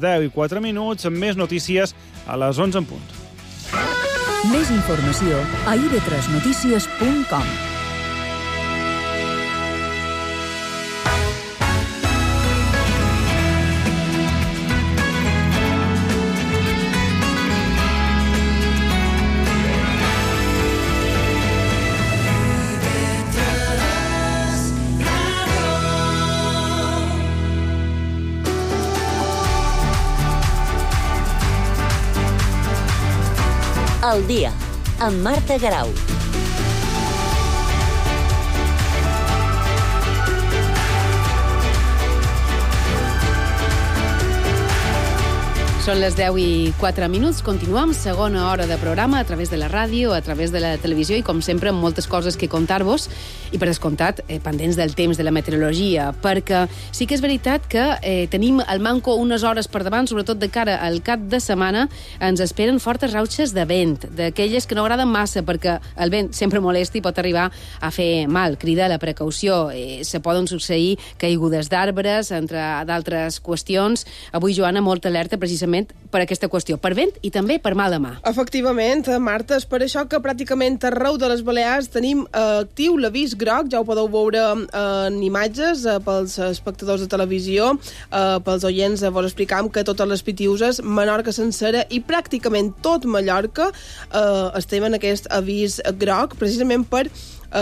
10:04, més notícies a les 11 en punt. Més informació a ib3notícies.com. El dia, amb Marta Garau. Són les 10:04. Continuem segona hora de programa a través de la ràdio, a través de la televisió i, com sempre, amb moltes coses que contar-vos i, per descomptat, pendents del temps, de la meteorologia, perquè sí que és veritat que tenim al manco unes hores per davant, sobretot de cara al cap de setmana. Ens esperen fortes rautxes de vent, d'aquelles que no agraden massa, perquè el vent sempre molesta i pot arribar a fer mal. Crida a la precaució. Se poden succeir caigudes d'arbres, entre d'altres qüestions. Avui, Joana, molta alerta precisament per aquesta qüestió, per vent i també per mala mà. Efectivament, Marta, és per això que pràcticament arreu de les Balears tenim actiu l'avís groc, ja ho podeu veure en imatges pels espectadors de televisió, pels oients, vos explicam que totes les Pitiuses, Menorca sencera i pràcticament tot Mallorca estem en aquest avís groc, precisament per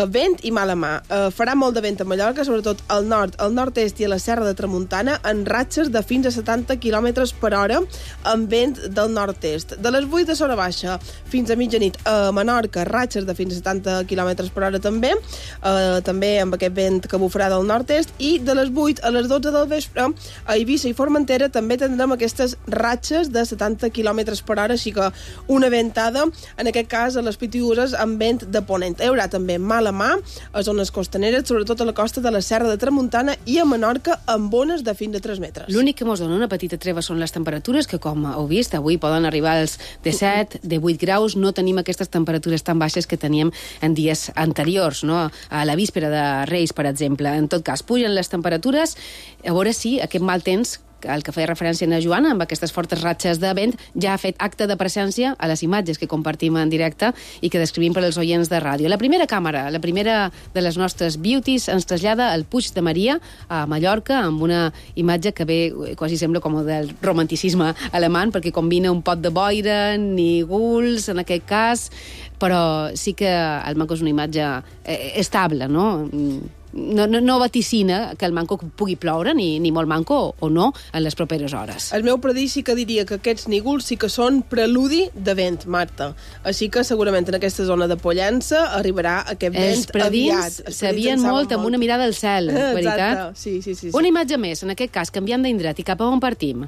vent i mala mà. Farà molt de vent a Mallorca, sobretot al nord, al nord-est i a la Serra de Tramuntana, en ratxes de fins a 70 km per hora, amb vent del nord-est. De les 8 de Sora Baixa fins a mitjanit a Menorca, ratxes de fins a 70 km per hora també, també amb aquest vent que bufarà del nord-est, i de les 8 a les 12 del vespre a Eivissa i Formentera també tindrem aquestes ratxes de 70 km per hora, així que una ventada, en aquest cas a les Pitiuses, amb vent de ponent. Hi haurà també mala mà a zones costaneres, sobretot a la costa de la Serra de Tramuntana i a Menorca, amb ones de fins a 3 metres. L'únic que mos dona una petita treva són les temperatures, que, com heu vist, avui poden arribar als de 7, de 8 graus. No tenim aquestes temperatures tan baixes que teníem en dies anteriors, no? A la víspera de Reis, per exemple. En tot cas, pugen les temperatures. A veure si aquest mal temps, al que feia referència a Joana, amb aquestes fortes ratxes de vent, ja ha fet acte de presència a les imatges que compartim en directe i que descrivim per als oients de ràdio. La primera càmera, la primera de les nostres beauties, ens trasllada al Puig de Maria, a Mallorca, amb una imatge que ve, quasi sembla com del romanticisme alemany, perquè combina un pot de boira, nígols, en aquest cas, però sí que el manco és una imatge estable, no? No vaticina que el manco pugui ploure, ni molt manco o no, en les properes hores. El meu predí sí que diria que aquests nígols sí que són preludi de vent, Marta. Així que segurament en aquesta zona de Pollença arribarà aquest vent aviat. Els predins sabien molt amb una mirada al cel, veritat? Sí. Una imatge més, en aquest cas, canviant d'indret, i cap a on partim?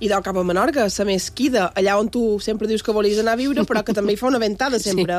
I del cap a Menorca, la Mesquida, allà on tu sempre dius que volies anar a viure, però que també hi fa una ventada sempre,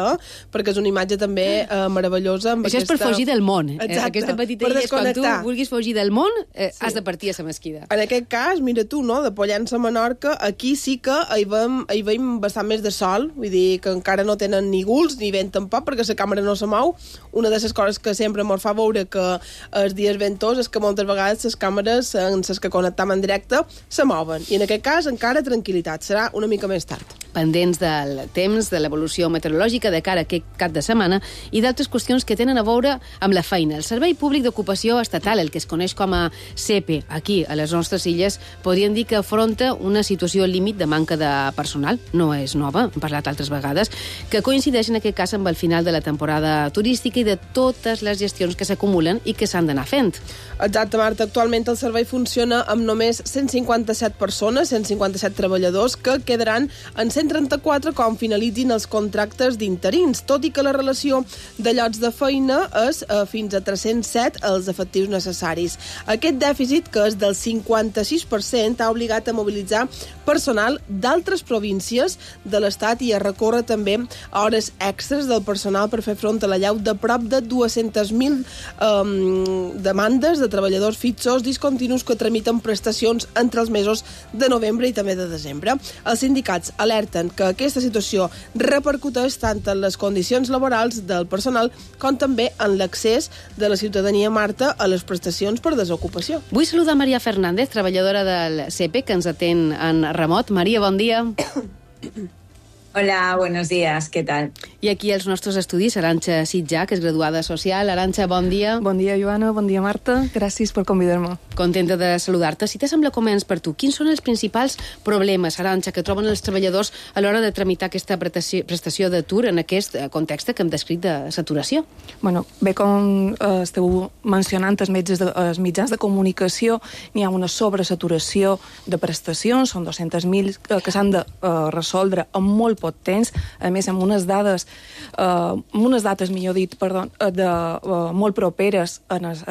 perquè és una imatge també meravellosa. Això és per fugir del món. Exacte, aquesta petita illa és quan tu vulguis fugir del món, has de partir a la Mesquida. En aquest cas, mira tu, no?, de Pollença a Menorca, aquí sí que hi veiem bastant més de sol, vull dir que encara no tenen ni guls ni vent tampoc, perquè la càmera no se mou. Una de les coses que sempre ens fa veure que els dies ventós és que moltes vegades les càmeres en les que connectam en directe se mouen. I en aquest cas encara tranquil·litat, serà una mica més tard. Pendents del temps, de l'evolució meteorològica de cara a aquest cap de setmana i d'altres qüestions que tenen a veure amb la feina. El Servei Públic d'Ocupació Estatal, el que es coneix com a SEPE, aquí, a les nostres illes, podríem dir que afronta una situació límit de manca de personal. No és nova, hem parlat altres vegades, que coincideix en aquest cas amb el final de la temporada turística i de totes les gestions que s'acumulen i que s'han d'anar fent. Exacte, Marta. Actualment el servei funciona amb només 157 persones, 157 treballadors, que quedaran en 134 quan finalitzin els contractes d'interins, tot i que la relació de llocs de feina és fins a 307 els efectius necessaris. Aquest dèficit, que és del 56%, ha obligat a mobilitzar personal d'altres províncies de l'Estat i a recórrer també a hores extres del personal per fer front a la llau de prop de 200.000 demandes de treballadors fixos discontinus que tramiten prestacions entre els mesos de novembre i també de desembre. Els sindicats alerten que aquesta situació repercuteix tant en les condicions laborals del personal com també en l'accés de la ciutadania, Marta, a les prestacions per desocupació. Vull saludar Maria Fernández, treballadora del CEPE, que ens atén en remot. Maria, bon dia. Hola, buenos días, ¿qué tal? I aquí els nostres estudis, Arantxa Sitjà, que és graduada social. Arantxa, bon dia. Bon dia, Joana, bon dia, Marta. Gràcies per convidar-me. Contenta de saludar-te. Si t'assembla, començ per tu. Quins són els principals problemes, Arantxa, que troben els treballadors a l'hora de tramitar aquesta prestació d'atur en aquest context que hem descrit de saturació? Bueno, bé, com esteu mencionant els mitjans de comunicació, n'hi ha una sobresaturació de prestacions, són 200.000 que s'han de resoldre en molt poc temps, a més amb unes dates, millor dit, molt properes a les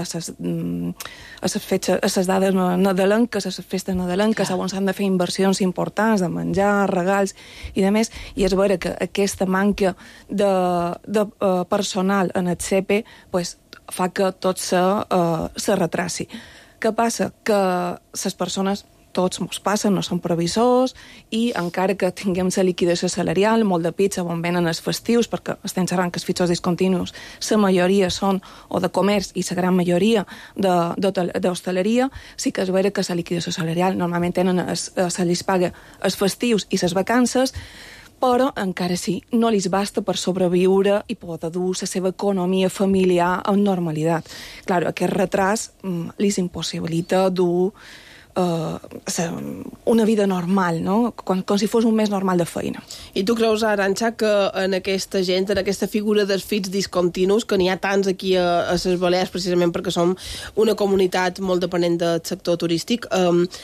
dades nadalenques, a les festes nadalenques, on s'han de fer inversions importants de menjar, regals i de més, i és vera que aquesta manca de personal en el CEPE fa que tot se retraci. Què passa? Que les persones, tots mos passen, no són previsors, i encara que tinguem la liquidació salarial, molt de pizza on venen els festius, perquè estem xerrant que els fitxos discontinus, la majoria són o de comerç i la gran majoria d'hostaleria, sí que és vera que la liquidació salarial normalment se li paga els festius i les vacances, però encara sí, no li basta per sobreviure i poder dur la seva economia familiar amb normalitat. Clar, aquest retras li impossibilita dur una vida normal, no? Com si fos un mes normal de feina. I tu creus, Arantxa, que en aquesta gent, en aquesta figura dels fits discontinus, que n'hi ha tants aquí a les Balears, precisament perquè som una comunitat molt dependent del sector turístic,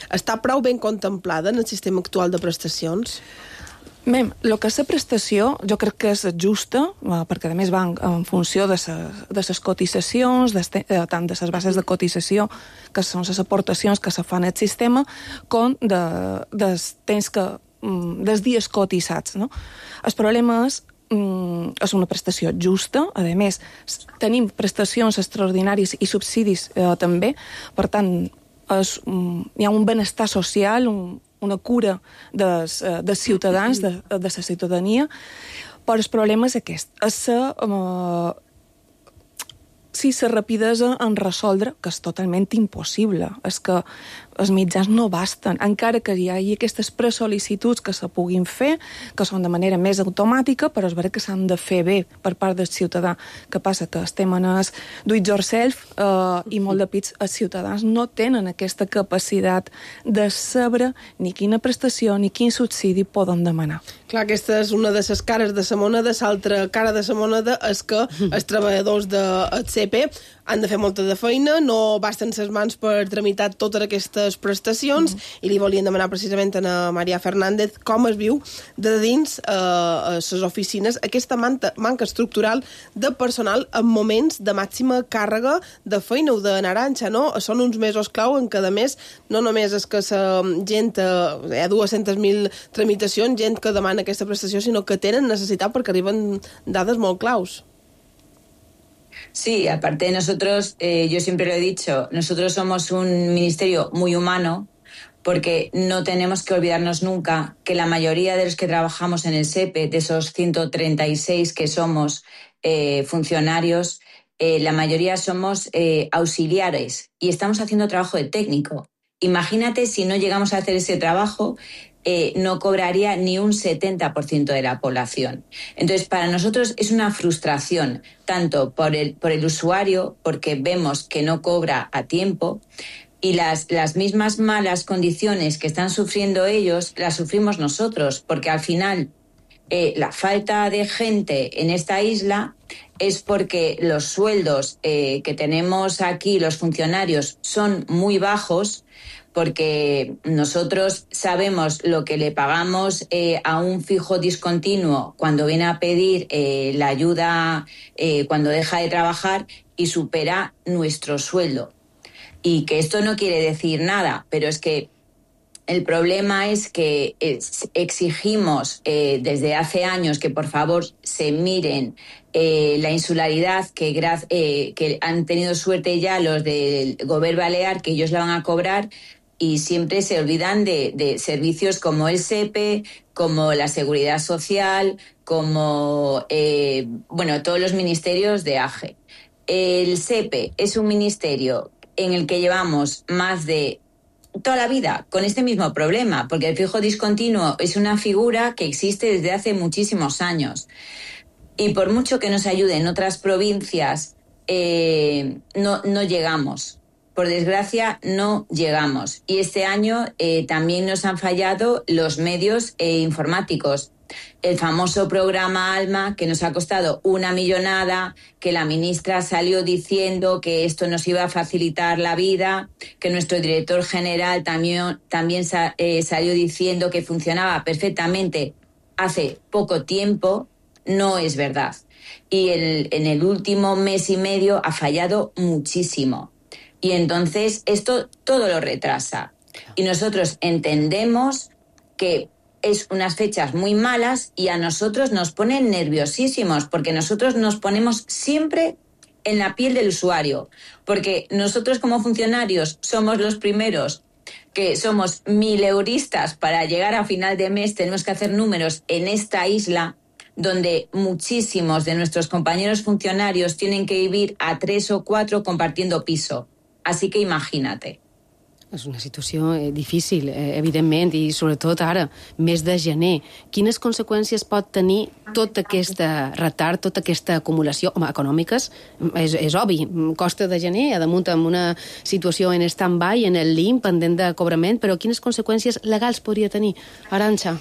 està prou ben contemplada en el sistema actual de prestacions? Bé, el que és la prestació jo crec que és justa, perquè a més van en funció de les cotitzacions, tant de les bases de cotització, que són les aportacions que se fan al sistema, com dels dies cotitzats. No? El problema és una prestació justa, a més tenim prestacions extraordinàries i subsidis també, per tant hi ha un benestar social, una cura dels ciutadans, de la ciutadania, però el problema és aquest, la rapidesa en resoldre, que és totalment impossible, és que els mitjans no basten, encara que hi hagi aquestes presol·licituds que se puguin fer, que són de manera més automàtica, però és veritat que s'han de fer bé per part del ciutadà. Què passa? Que estem en el do it yourself i molt de pits els ciutadans no tenen aquesta capacitat de saber ni quina prestació ni quin subsidi poden demanar. Clar, aquesta és una de les cares de la moneda, l'altra cara de la moneda és que els treballadors del CEPE han de fer molta de feina, no basten ses mans per tramitar totes aquestes prestacions, i li volien demanar precisament a Maria Fernández com es viu de dins a les oficines aquesta manca estructural de personal en moments de màxima càrrega de feina o de Arantxa, no? Són uns mesos clau en què, a més, no només és que la gent, hi ha 200.000 tramitacions, gent que demana aquesta prestació, sinó que tenen necessitat perquè arriben dades molt claus. Sí, aparte nosotros, yo siempre lo he dicho, nosotros somos un ministerio muy humano porque no tenemos que olvidarnos nunca que la mayoría de los que trabajamos en el SEPE, de esos 136 que somos funcionarios, la mayoría somos auxiliares y estamos haciendo trabajo de técnico. Imagínate si no llegamos a hacer ese trabajo, no cobraría ni un 70% de la población. Entonces, para nosotros es una frustración, tanto por el usuario, porque vemos que no cobra a tiempo, y las mismas malas condiciones que están sufriendo ellos, las sufrimos nosotros, porque al final la falta de gente en esta isla es porque los sueldos que tenemos aquí, los funcionarios, son muy bajos, porque nosotros sabemos lo que le pagamos a un fijo discontinuo cuando viene a pedir la ayuda cuando deja de trabajar y supera nuestro sueldo. Y que esto no quiere decir nada, pero es que el problema es que exigimos desde hace años que por favor se miren la insularidad que han tenido suerte ya los del Govern Balear, que ellos la van a cobrar, y siempre se olvidan de servicios como el SEPE, como la Seguridad Social, como todos los ministerios de AGE. El SEPE es un ministerio en el que llevamos más de toda la vida con este mismo problema, porque el fijo discontinuo es una figura que existe desde hace muchísimos años. Y por mucho que nos ayuden otras provincias, no llegamos. Por desgracia, no llegamos. Y este año también nos han fallado los medios informáticos. El famoso programa ALMA, que nos ha costado una millonada, que la ministra salió diciendo que esto nos iba a facilitar la vida, que nuestro director general también salió diciendo que funcionaba perfectamente hace poco tiempo. No es verdad. Y en el último mes y medio ha fallado muchísimo. Y entonces esto todo lo retrasa. Y nosotros entendemos que es unas fechas muy malas y a nosotros nos ponen nerviosísimos, porque nosotros nos ponemos siempre en la piel del usuario, porque nosotros como funcionarios somos los primeros que somos 1000euristas. Para llegar a final de mes tenemos que hacer números en esta isla donde muchísimos de nuestros compañeros funcionarios tienen que vivir a 3 o 4 compartiendo piso. Así que imagínate. És una situació difícil, evidentment, i sobretot ara, mes de gener. Quines conseqüències pot tenir tot aquest retard, tota aquesta acumulació? Home, econòmiques, és obvi. Costa de gener, a damunt amb una situació en stand-by, en el LIM, pendent de cobrament, però quines conseqüències legals podria tenir? Arantxa?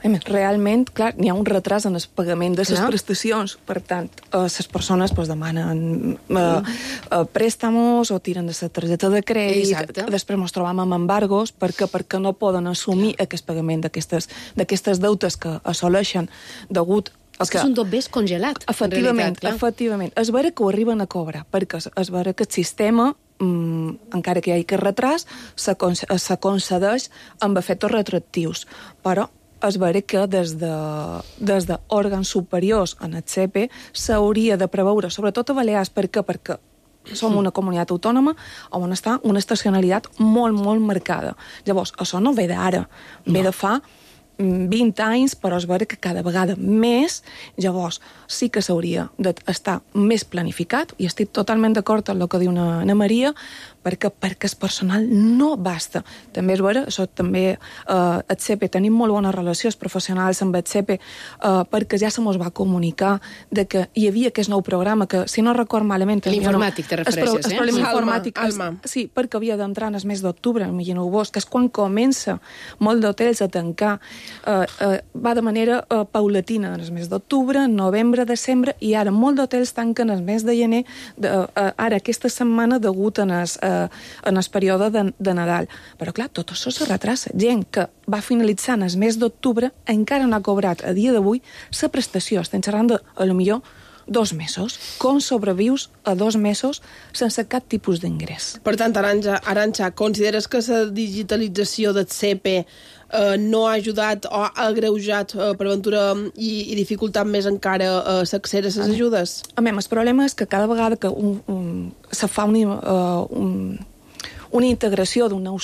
Realment, clar, n'hi ha un retras en el pagament de les prestacions. Per tant, les persones demanen préstamos o tiren de la targeta de crèdit. Exacte. Després ens trobam amb embargos perquè no poden assumir aquest pagament d'aquestes deutes que assoleixen degut és que és un dobbers congelat, efectivament. És vera que ho arriben a cobrar, perquè és vera que el sistema, encara que hi hagi aquest retras, s'aconcedeix amb efectes retroactius. Però és vera que des d'òrgans superiors en el CEPE s'hauria de preveure, sobretot a Balears, perquè som una comunitat autònoma on està una estacionalitat molt, molt marcada. Llavors, això no ve d'ara, ve de fa 20 anys, però és vera que cada vegada més. Llavors, sí que s'hauria d'estar més planificat, i estic totalment d'acord amb el que diu Ana Maria, perquè el personal no basta. També és vera, això també el CEPE, tenim molt bones relacions professionals amb el CEPE, perquè ja se mos va comunicar de que hi havia aquest nou programa que, si no record malament... L'informàtic te refereixes, el problema informàtic, sí, perquè havia d'entrar en el mes d'octubre, imagineu-vos, que és quan comença molt d'hotels a tancar. Va de manera paulatina en el mes d'octubre, novembre, desembre, i ara molt d'hotels tanquen el mes de gener, ara aquesta setmana degut en el període de Nadal. Però clar, tot això se retrasa. Gent que va finalitzar en el mes d'octubre encara no ha cobrat a dia d'avui la prestació. Estem xerrant de, a lo millor, 2 mesos. Com sobrevius a 2 mesos sense cap tipus d'ingrés? Per tant, Arantxa, consideres que la digitalització del CEPE no ha ajudat o ha agreujat per ventura i dificultat més encara l'accés a les ajudes? El problema és que cada vegada que se fa una integració d'un nou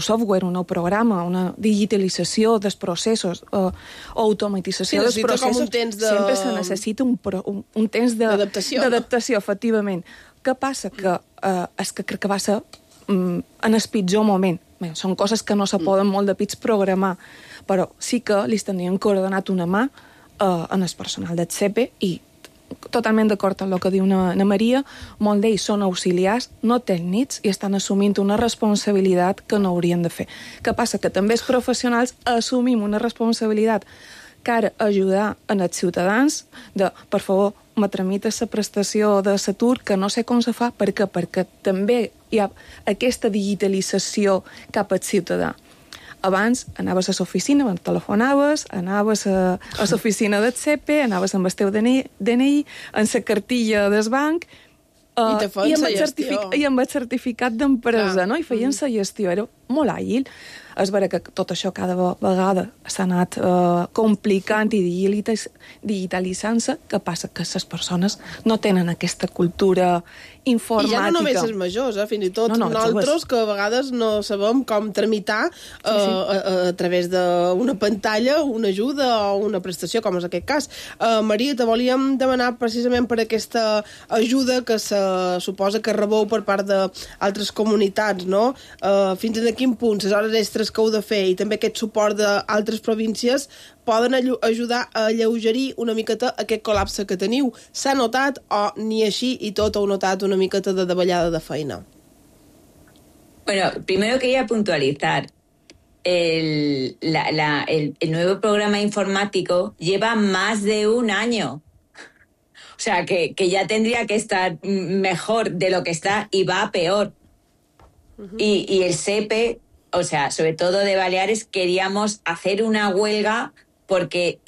software, un nou programa, una digitalització dels processos o automatització dels processos, sempre se necessita un temps d'adaptació, efectivament. Què passa? Que és que crec que va ser en el pitjor moment. Bé, són coses que no se poden molt de pits programar, però sí que li tindríem coordenat una mà en el personal del CEPE, i totalment d'acord amb el que diu Ana Maria, molts d'ells són auxiliars, no tècnics, i estan assumint una responsabilitat que no haurien de fer. Què passa? Que també els professionals assumim una responsabilitat que ara ajudar en els ciutadans de, per favor, me tramita la prestació de l'atur, que no sé com se fa, perquè també hi ha aquesta digitalització cap al ciutadà. Abans anaves a l'oficina, telefonaves, anaves a l'oficina del CEPE, anaves amb el teu DNI, en la cartilla del banc, i amb el certificat d'empresa, no? I feien la gestió, era molt àgil. És vera que tot això cada vegada s'ha anat complicant i digitalitzant-se, que passa que les persones no tenen aquesta cultura informàtica. I ja no només els majors, fins i tot nosaltres, que a vegades no sabem com tramitar a través d'una pantalla una ajuda o una prestació, com és aquest cas. Maria, te volíem demanar precisament per aquesta ajuda que se suposa que rebeu per part d'altres comunitats, no? Fins a quin punt les hores extres que heu de fer i també aquest suport d'altres províncies poden ajudar a alleugerir una miqueta aquest col·lapse que teniu. S'ha notat o ni així i tot heu notat una miqueta de davallada de feina? Bueno, primero quería puntualizar. El nuevo programa informático lleva más de un año. O sea, que ya tendría que estar mejor de lo que está y va peor. Y el SEPE, o sea, sobre todo de Baleares, queríamos hacer una huelga porque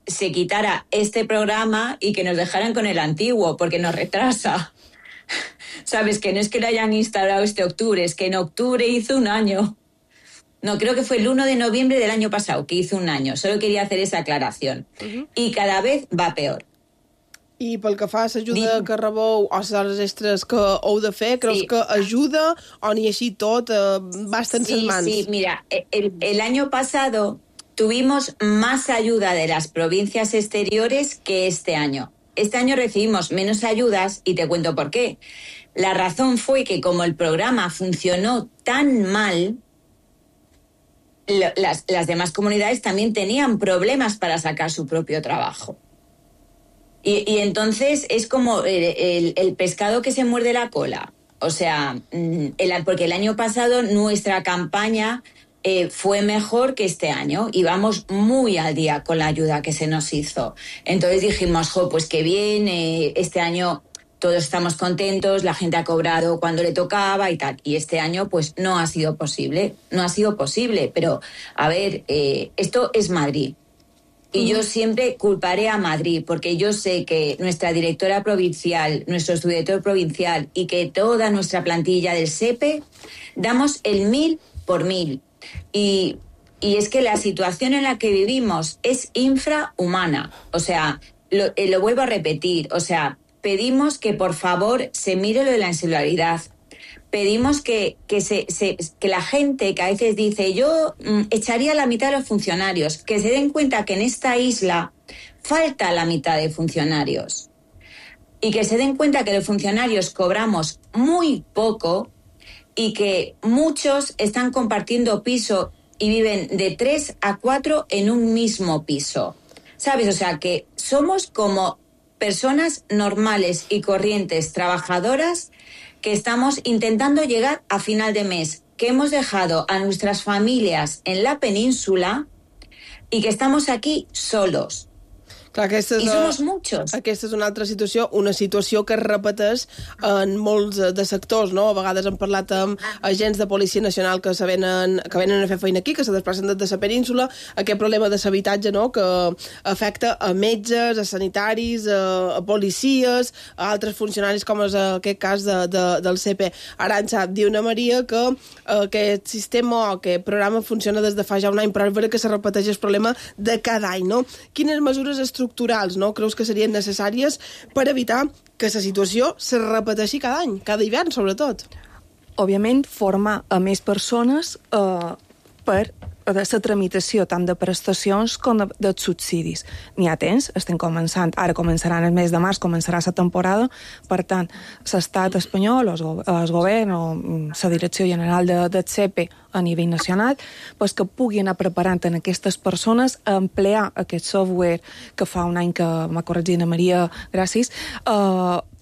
se quitara este programa y que nos dejaran con el antiguo, porque nos retrasa. ¿Sabes? Que no es que lo hayan instalado este octubre, es que en octubre hizo un año. No, creo que fue el 1 de noviembre del año pasado que hizo un año. Solo quería hacer esa aclaración. Y cada vez va peor. I pel que fa a l'ajuda que rebeu o les hores extres que heu de fer, creus que ajuda o ni així tot va estar en ses mans? Sí, mira, el año pasado tuvimos más ayuda de las provincias exteriores que este año. Este año recibimos menos ayudas y te cuento por qué. La razón fue que como el programa funcionó tan mal, las demás comunidades también tenían problemas para sacar su propio trabajo. Y entonces es como el pescado que se muerde la cola. O sea, porque el año pasado nuestra campaña fue mejor que este año y vamos muy al día con la ayuda que se nos hizo. Entonces dijimos, pues qué bien, este año todos estamos contentos, la gente ha cobrado cuando le tocaba y tal. Y este año pues no ha sido posible, pero a ver, esto es Madrid. Y yo siempre culparé a Madrid, porque yo sé que nuestra directora provincial, nuestro subdirector provincial y que toda nuestra plantilla del SEPE damos el 1000 por 1000. Y es que la situación en la que vivimos es infrahumana. O sea, lo vuelvo a repetir. O sea, pedimos que por favor se mire lo de la insularidad. Pedimos que la gente que a veces dice yo echaría la mitad de los funcionarios, que se den cuenta que en esta isla falta la mitad de funcionarios y que se den cuenta que los funcionarios cobramos muy poco y que muchos están compartiendo piso y viven de 3 a 4 en un mismo piso. ¿Sabes? O sea, que somos como personas normales y corrientes, trabajadoras, que estamos intentando llegar a final de mes, que hemos dejado a nuestras familias en la península y que estamos aquí solos. Clar, I somos muchos. Aquesta és una altra situació, una situació que es repeteix en molts de sectors, no? A vegades hem parlat amb agents de Policia Nacional que venen a fer feina aquí, que se desplacen des de la península, aquest problema de l'habitatge, no?, que afecta a metges, a sanitaris, a policies, a altres funcionaris, com és aquest cas del CP. Arantxa, diu una Maria que aquest sistema o aquest programa funciona des de fa ja un any, però és vera que se repeteix el problema de cada any, no? Quines mesures estructurals, no, creus que serien necessàries per evitar que la situació se repeteixi cada any, cada hivern, sobretot? Òbviament, formar a més persones per la tramitació tant de prestacions com de subsidis. N'hi ha temps, estem començant, ara començaran el mes de març, començarà la temporada, per tant, l'estat espanyol, el govern o la Direcció General del CEPE a nivell nacional, pues que pugui anar preparant en aquestes persones a emplear aquest software que fa un any que m'ha corregit la Maria, gràcies,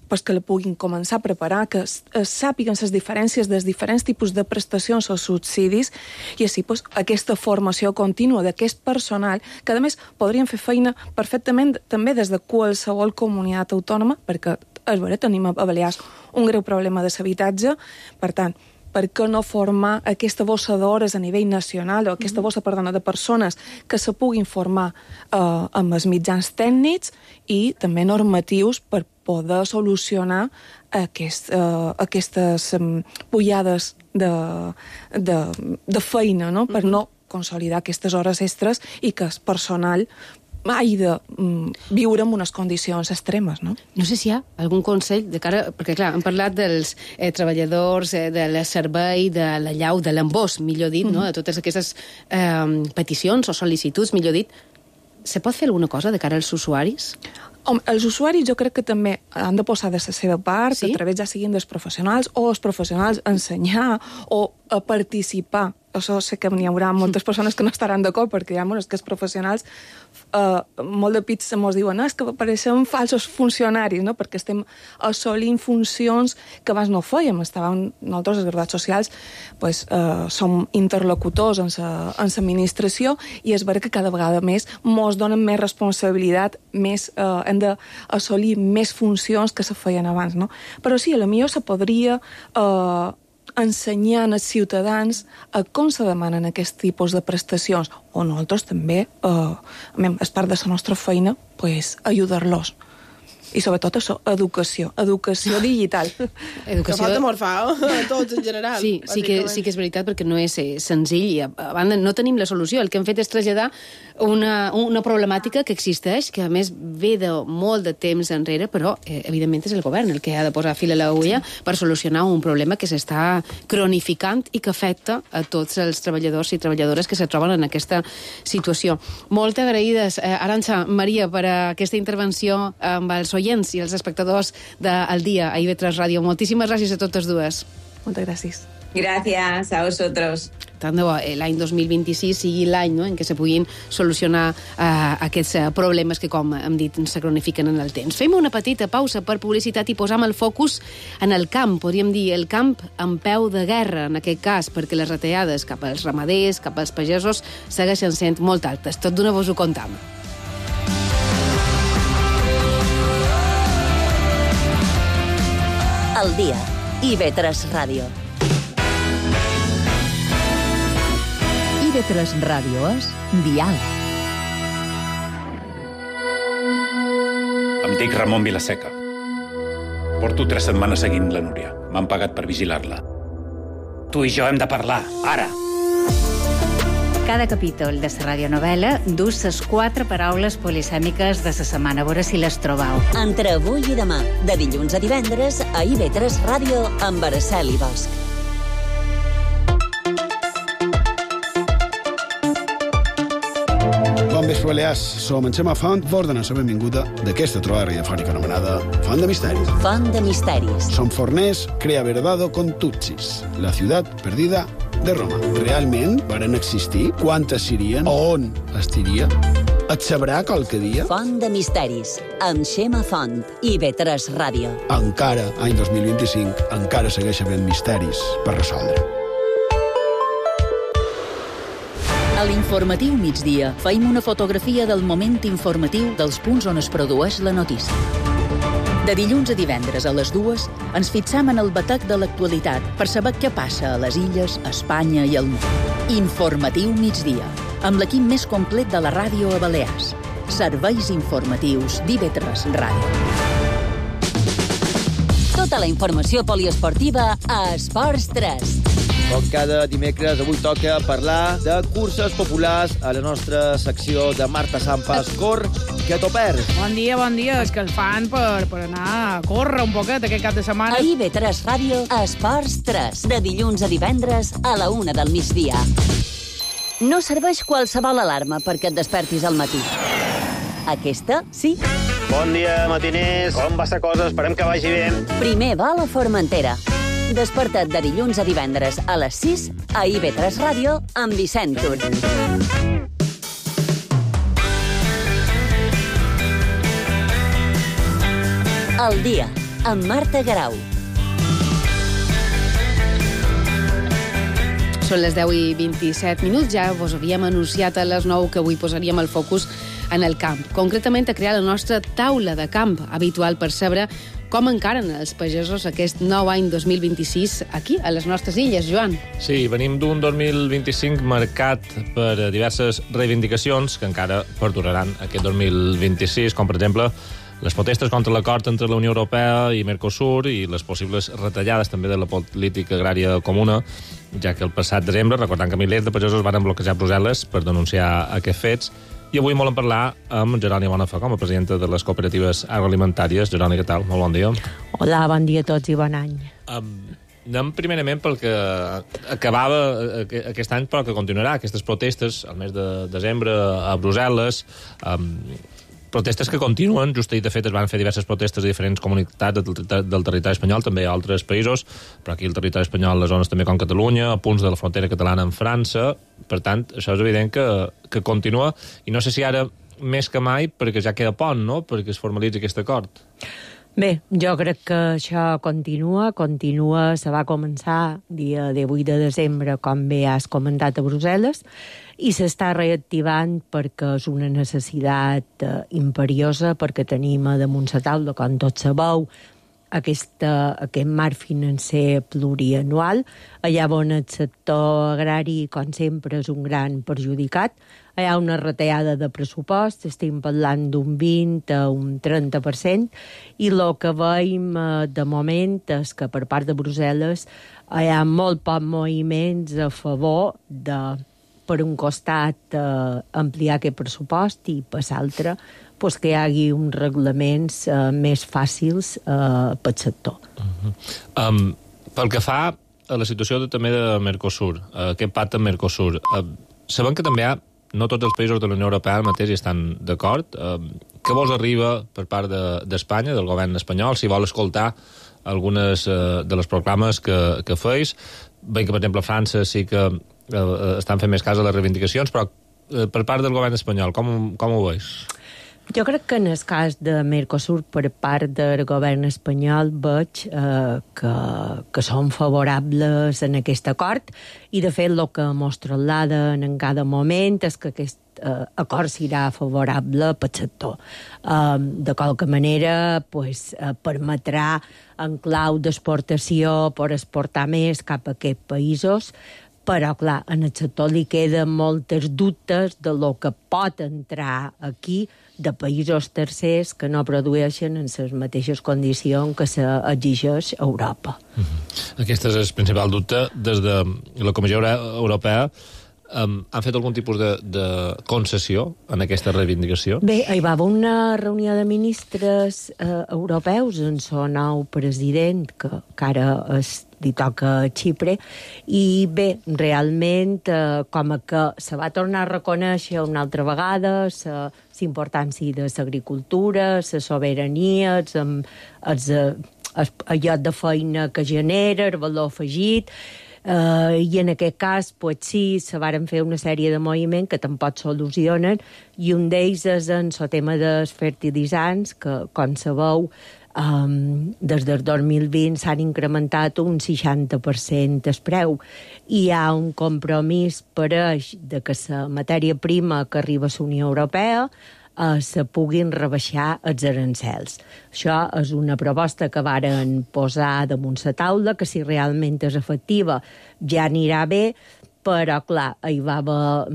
pues que la puguin començar a preparar, que sàpiguen les diferències dels diferents tipus de prestacions o subsidis i així pues, aquesta formació contínua d'aquest personal, que a més podrien fer feina perfectament també des de qualsevol comunitat autònoma, perquè és vera, tenim a Balears un greu problema de l'habitatge, per tant, per què no formar aquesta bossa d'hores a nivell nacional o aquesta bossa, perdona, de persones que se puguin formar amb els mitjans tècnics i també normatius per poder solucionar aquestes pujades de feina, no? Per no consolidar aquestes hores extres i que el personal hagi de viure en unes condicions extremes, no? No sé si hi ha algun consell de cara... Perquè, clar, hem parlat dels treballadors del servei, de la llau, de l'embós, millor dit, no? De totes aquestes peticions o sol·licituds, millor dit. Se pot fer alguna cosa de cara als usuaris? Els usuaris jo crec que també han de posar de la seva part, sí? A través ja siguin dels professionals o els professionals ensenyar o a participar. Això sé que n'hi haurà moltes persones que no estaran d'acord perquè ja, és que els professionals molt de pits ens diuen és que pareixem falsos funcionaris, no? Perquè estem assolint funcions que abans no fèiem. Nosaltres, els graduats socials, som interlocutors en l'administració i és vera que cada vegada més ens donen més responsabilitat, hem d'assolir més funcions que se feien abans, no? Però sí, potser se podria ensenyant als ciutadans a com se demanen aquest tipus de prestacions, o nosaltres també, és part de la nostra feina, ajudar-los. I sobretot això, educació digital. Que falta molt fa, a tots en general. Sí que és veritat, perquè no és senzill i a banda no tenim la solució. El que hem fet és traslladar una problemàtica que existeix, que a més ve de molt de temps enrere, però evidentment és el govern el que ha de posar fil a l'agulla per solucionar un problema que s'està cronificant i que afecta a tots els treballadors i treballadores que se troben en aquesta situació. Molt agraïdes, Arantxa, Maria, per aquesta intervenció amb els oients i els espectadors del Dia a IB3 Ràdio. Moltíssimes gràcies a totes dues. Moltes gràcies. Gracias a vosotros. Tant de bo l'any 2026 sigui l'any en què se puguin solucionar aquests problemes que, com hem dit, se cronifiquen en el temps. Fem una petita pausa per publicitat i posam el focus en el camp, podríem dir, el camp en peu de guerra, en aquest cas, perquè les retallades cap als ramaders, cap als pagesos, segueixen sent molt altes. Tot d'una vos ho contam. El Dia, IB3 Ràdio. IB3 Ràdio és Dial. Em dic Ramon Vilaseca. Porto 3 setmanes seguint la Núria. M'han pagat per vigilar-la. Tu i jo hem de parlar, ara. Cada capítol de la radionovel·la dus les 4 paraules polisèmiques de la setmana. A veure si les trobau. Entre avui i demà, de dilluns a divendres, a IB3 Ràdio, amb Araceli Bosch. Bon vespre, Balears. Som en Xema Font, vos donem la benvinguda d'aquesta trobada radiofònica anomenada Font de Misteris. Font de Misteris. Som forners, crea verdado con Tutsis, la ciutat perdida de Roma. Realment varen existir? Quantes serien? On estiria? Et sabrà qualque dia? Font de Misteris, amb Xema Font, IB3 Ràdio. Encara, any 2025, encara segueix havent misteris per resoldre. A l'informatiu migdia feim una fotografia del moment informatiu dels punts on es produeix la notícia. De dilluns a divendres a les 2 ens fixam en el batec de l'actualitat per saber què passa a les illes, a Espanya i al món. Informatiu migdia, amb l'equip més complet de la ràdio a Balears. Serveis informatius d'IB3 Ràdio. Tota la informació poliesportiva a Esports 3. Com cada dimecres, avui toca parlar de curses populars a la nostra secció de Marta Sampas. Cor, que t'ho perds. Bon dia. És que el fan per anar a córrer un poquet aquest cap de setmana. A IB3 Ràdio, Esports 3. De dilluns a divendres a la 1 del migdia. No serveix qualsevol alarma perquè et despertis al matí. Aquesta, sí. Bon dia, matiners. Com va la cosa? Esperem que vagi bé. Primer va a Formentera. Desperta't de dilluns a divendres a les 6 a IB3 Ràdio amb Vicent Tur. El Dia, amb Marta Garau. Són les 10:27. Ja vos havíem anunciat a les 9 que avui posaríem el focus en el camp. Concretament a crear la nostra taula de camp, habitual per saber com encaren els pagesos aquest nou any 2026 aquí, a les nostres illes, Joan. Sí, venim d'un 2025 marcat per diverses reivindicacions que encara perduraran aquest 2026, com per exemple Les protestes contra l'acord entre la Unió Europea i Mercosur i les possibles retallades també de la política agrària comuna, ja que el passat desembre, recordant que milers de pagesos van bloquejar Brussel·les per denunciar aquests fets. I avui volem parlar amb Jeroni Bonafà, com a presidenta de les cooperatives agroalimentàries. Jeroni, què tal? Molt bon dia. Hola, bon dia a tots i bon any. Anem primerament pel que acabava aquest any, però que continuarà, aquestes protestes al mes de desembre a Brussel·les, protestes que continuen. Just ahir, de fet, es van fer diverses protestes a diferents comunitats del territori espanyol, també a altres països, però aquí al territori espanyol, les zones també com Catalunya, a punts de la frontera catalana amb França. Per tant, això és evident que continua, i no sé si ara més que mai, perquè ja queda pont, no?, perquè es formalitzi aquest acord. Bé, jo crec que això continua, se va començar dia 18 de desembre, com bé has comentat, a Brussel·les, i s'està reactivant perquè és una necessitat imperiosa, perquè tenim damunt la taula, com tots sabeu, aquest marc financer plurianual, allà on el sector agrari, com sempre, és un gran perjudicat. Hi ha una retallada de pressupost, estem parlant d'un 20 a un 30%, i el que veiem de moment és que per part de Brussel·les hi ha molt pocs moviments a favor de, per un costat, ampliar aquest pressupost i per l'altre, que hi hagi uns reglaments més fàcils pel sector. Pel que fa a la situació també de Mercosur, aquest pacte amb Mercosur, sabem que també no tots els països de la Unió Europea mateix hi estan d'acord. Què vos arriba per part d'Espanya, del govern espanyol, si vol escoltar algunes de les proclames que feis? Veiem que, per exemple, a França sí que estan fent més cas a les reivindicacions, però per part del govern espanyol, com ho veus? Jo crec que en el cas de Mercosur, per part del govern espanyol, veig que són favorables en aquest acord, i de fet el que mos trasladen en cada moment és que aquest acord serà favorable pel sector. De qualque manera, permetrà en clau d'exportació per exportar més cap a aquests països, però, clar, en el sector li queden moltes dubtes de lo que pot entrar aquí de països tercers que no produeixen en les mateixes condicions que s'exigeix a Europa. Aquest és el principal dubte. Des de la Comissió Europea han fet algun tipus de concessió en aquesta reivindicació? Bé, hi va haver una reunió de ministres europeus en el nou president, que ara li toca a Xipre, i bé, realment, com que se va tornar a reconèixer una altra vegada la importància de l'agricultura, la sobirania, el lloc de feina que genera, el valor afegit, i en aquest cas, sí, se varen fer una sèrie de moviments que tampoc solucionen, i un d'ells és en el tema dels fertilitzants, que, com sabeu, des del 2020 s'han incrementat un 60% el preu, i hi ha un compromís pareix de que la matèria prima que arriba a la Unió Europea se puguin rebaixar els arancels. Això és una proposta que varen posar damunt la taula, que si realment és efectiva ja anirà bé, però, clar, hi va haver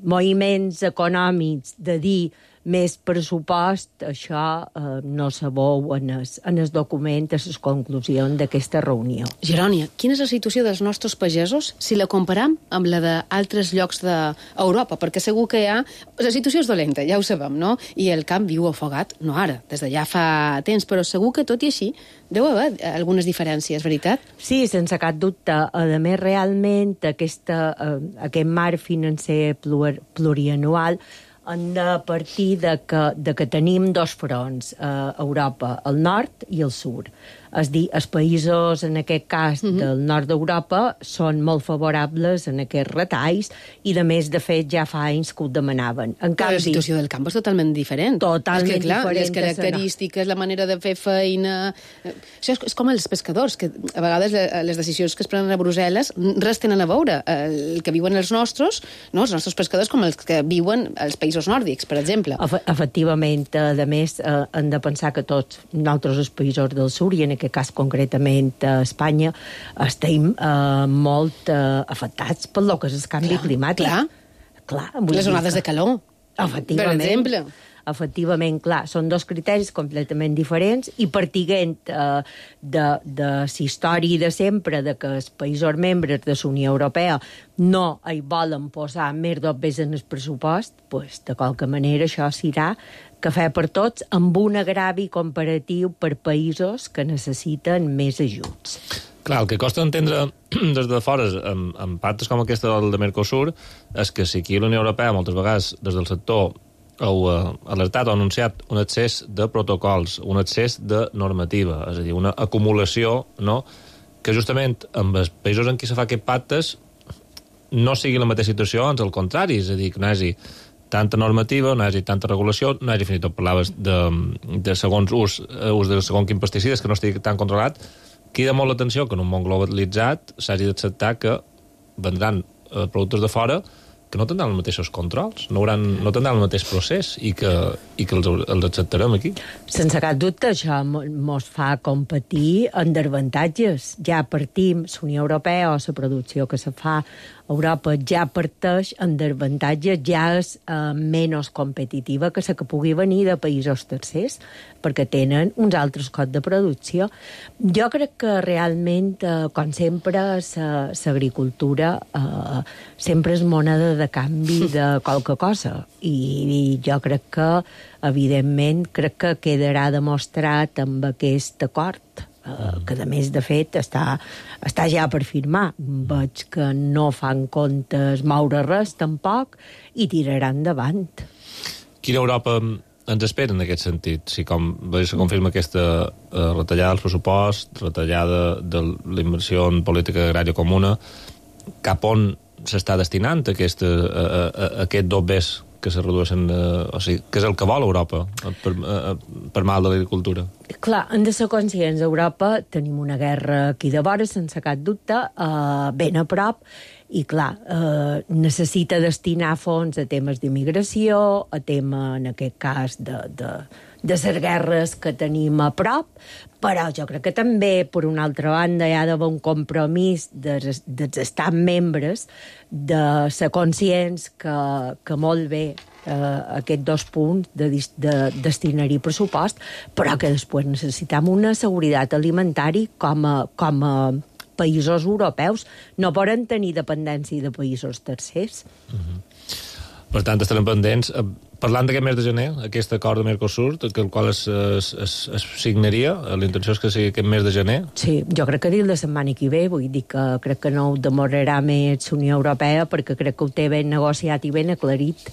moviments econòmics de dir més pressupost, això no se veu en el document, a les conclusions d'aquesta reunió. Jeroni, quina és la situació dels nostres pagesos si la comparam amb la d'altres llocs d'Europa? Perquè segur que la situació és dolenta, ja ho sabem, no? I el camp viu afogat, no ara, des de ja fa temps, però segur que tot i així deu haver algunes diferències, veritat? Sí, sense cap dubte. A més, realment, aquest marc financer plurianual han de partir de que tenim dos fronts a Europa, el nord i el sud. És dir, els països, en aquest cas, del nord d'Europa, són molt favorables en aquests retalls i, de més, de fet, ja fa anys que ho demanaven. En canvi, la situació del camp és totalment diferent. Totalment diferent. Les característiques, la manera de fer feina... Això és com els pescadors, que a vegades les decisions que es prenen a Brussel·les res tenen a veure. El que viuen els nostres pescadors, com els que viuen als països nòrdics, per exemple. Efectivament, a més, hem de pensar que tots nosaltres, els països del sud, i en aquest cas concretament a Espanya, estem molt afectats pel que és el canvi climàtic. Clar. Les onades de calor, efectivament, per exemple. efectivament, clar, són dos criteris completament diferents i partint de la història de sempre de que els països membres de la Unió Europea no hi volen posar més 2 vegades en el pressupost, doncs, de qualque manera això serà cafè per tots amb un agravi comparatiu per països que necessiten més ajuts. Clar, el que costa entendre des de fora, en pactes com aquesta del de Mercosur, és que si aquí a la Unió Europea moltes vegades des del sector heu alertat o anunciat un excés de protocols, un excés de normativa, és a dir, una acumulació, no?, que justament amb els països en què se fa aquests pactes no sigui la mateixa situació, ans al contrari, és a dir, que no hi hagi tanta normativa, no hi hagi tanta regulació, no hi hagi, fins i tot parlaves de segons ús de segons quin pesticides que no estigui tan controlat. Queda molt l'atenció que en un món globalitzat s'hagi d'acceptar que vendran productes de fora que no tindran els mateixos controls, no tindran el mateix procés i que els acceptarem aquí. Sense cap dubte, això mos fa competir en avantatges. Ja partim, la Unió Europea o la producció que se fa a Europa ja parteix en avantatges, ja és menys competitiva que la que pugui venir de països tercers, perquè tenen uns altres costs de producció. Jo crec que realment, com sempre, l'agricultura sempre és moneda de canvi de qualque cosa. I jo crec que, evidentment, crec que quedarà demostrat amb aquest acord, que a més, de fet, està ja per firmar. Veig que no fan comptes moure res, tampoc, i tiraran endavant. Quina Europa ens espera en aquest sentit? Si com se confirma aquesta retallada del pressupost, retallada de la inversió en política agrària comuna, cap on s'està destinant aquest 2 bes que se redueixen, o sigui, que és el que vol Europa per mal de l'agricultura? Clar, hem de ser conscients. A Europa tenim una guerra aquí de vora, sense cap dubte, ben a prop, i clar, necessita destinar fons a temes d'immigració, a tema, en aquest cas, de les guerres que tenim a prop, però jo crec que també, per una altra banda, hi ha d'haver un compromís dels estats membres de ser conscients que molt bé aquests 2 punts de destinar-hi pressupost, però que després necessitem una seguretat alimentària com a països europeus. No poden tenir dependència de països tercers. Per tant, estarem pendents. Parlant d'aquest mes de gener, aquest acord de Mercosur, el qual es signaria, la intenció és que sigui aquest mes de gener? Sí, jo crec que dins la setmana que ve, vull dir que crec que no ho demorarà més la Unió Europea, perquè crec que ho té ben negociat i ben aclarit.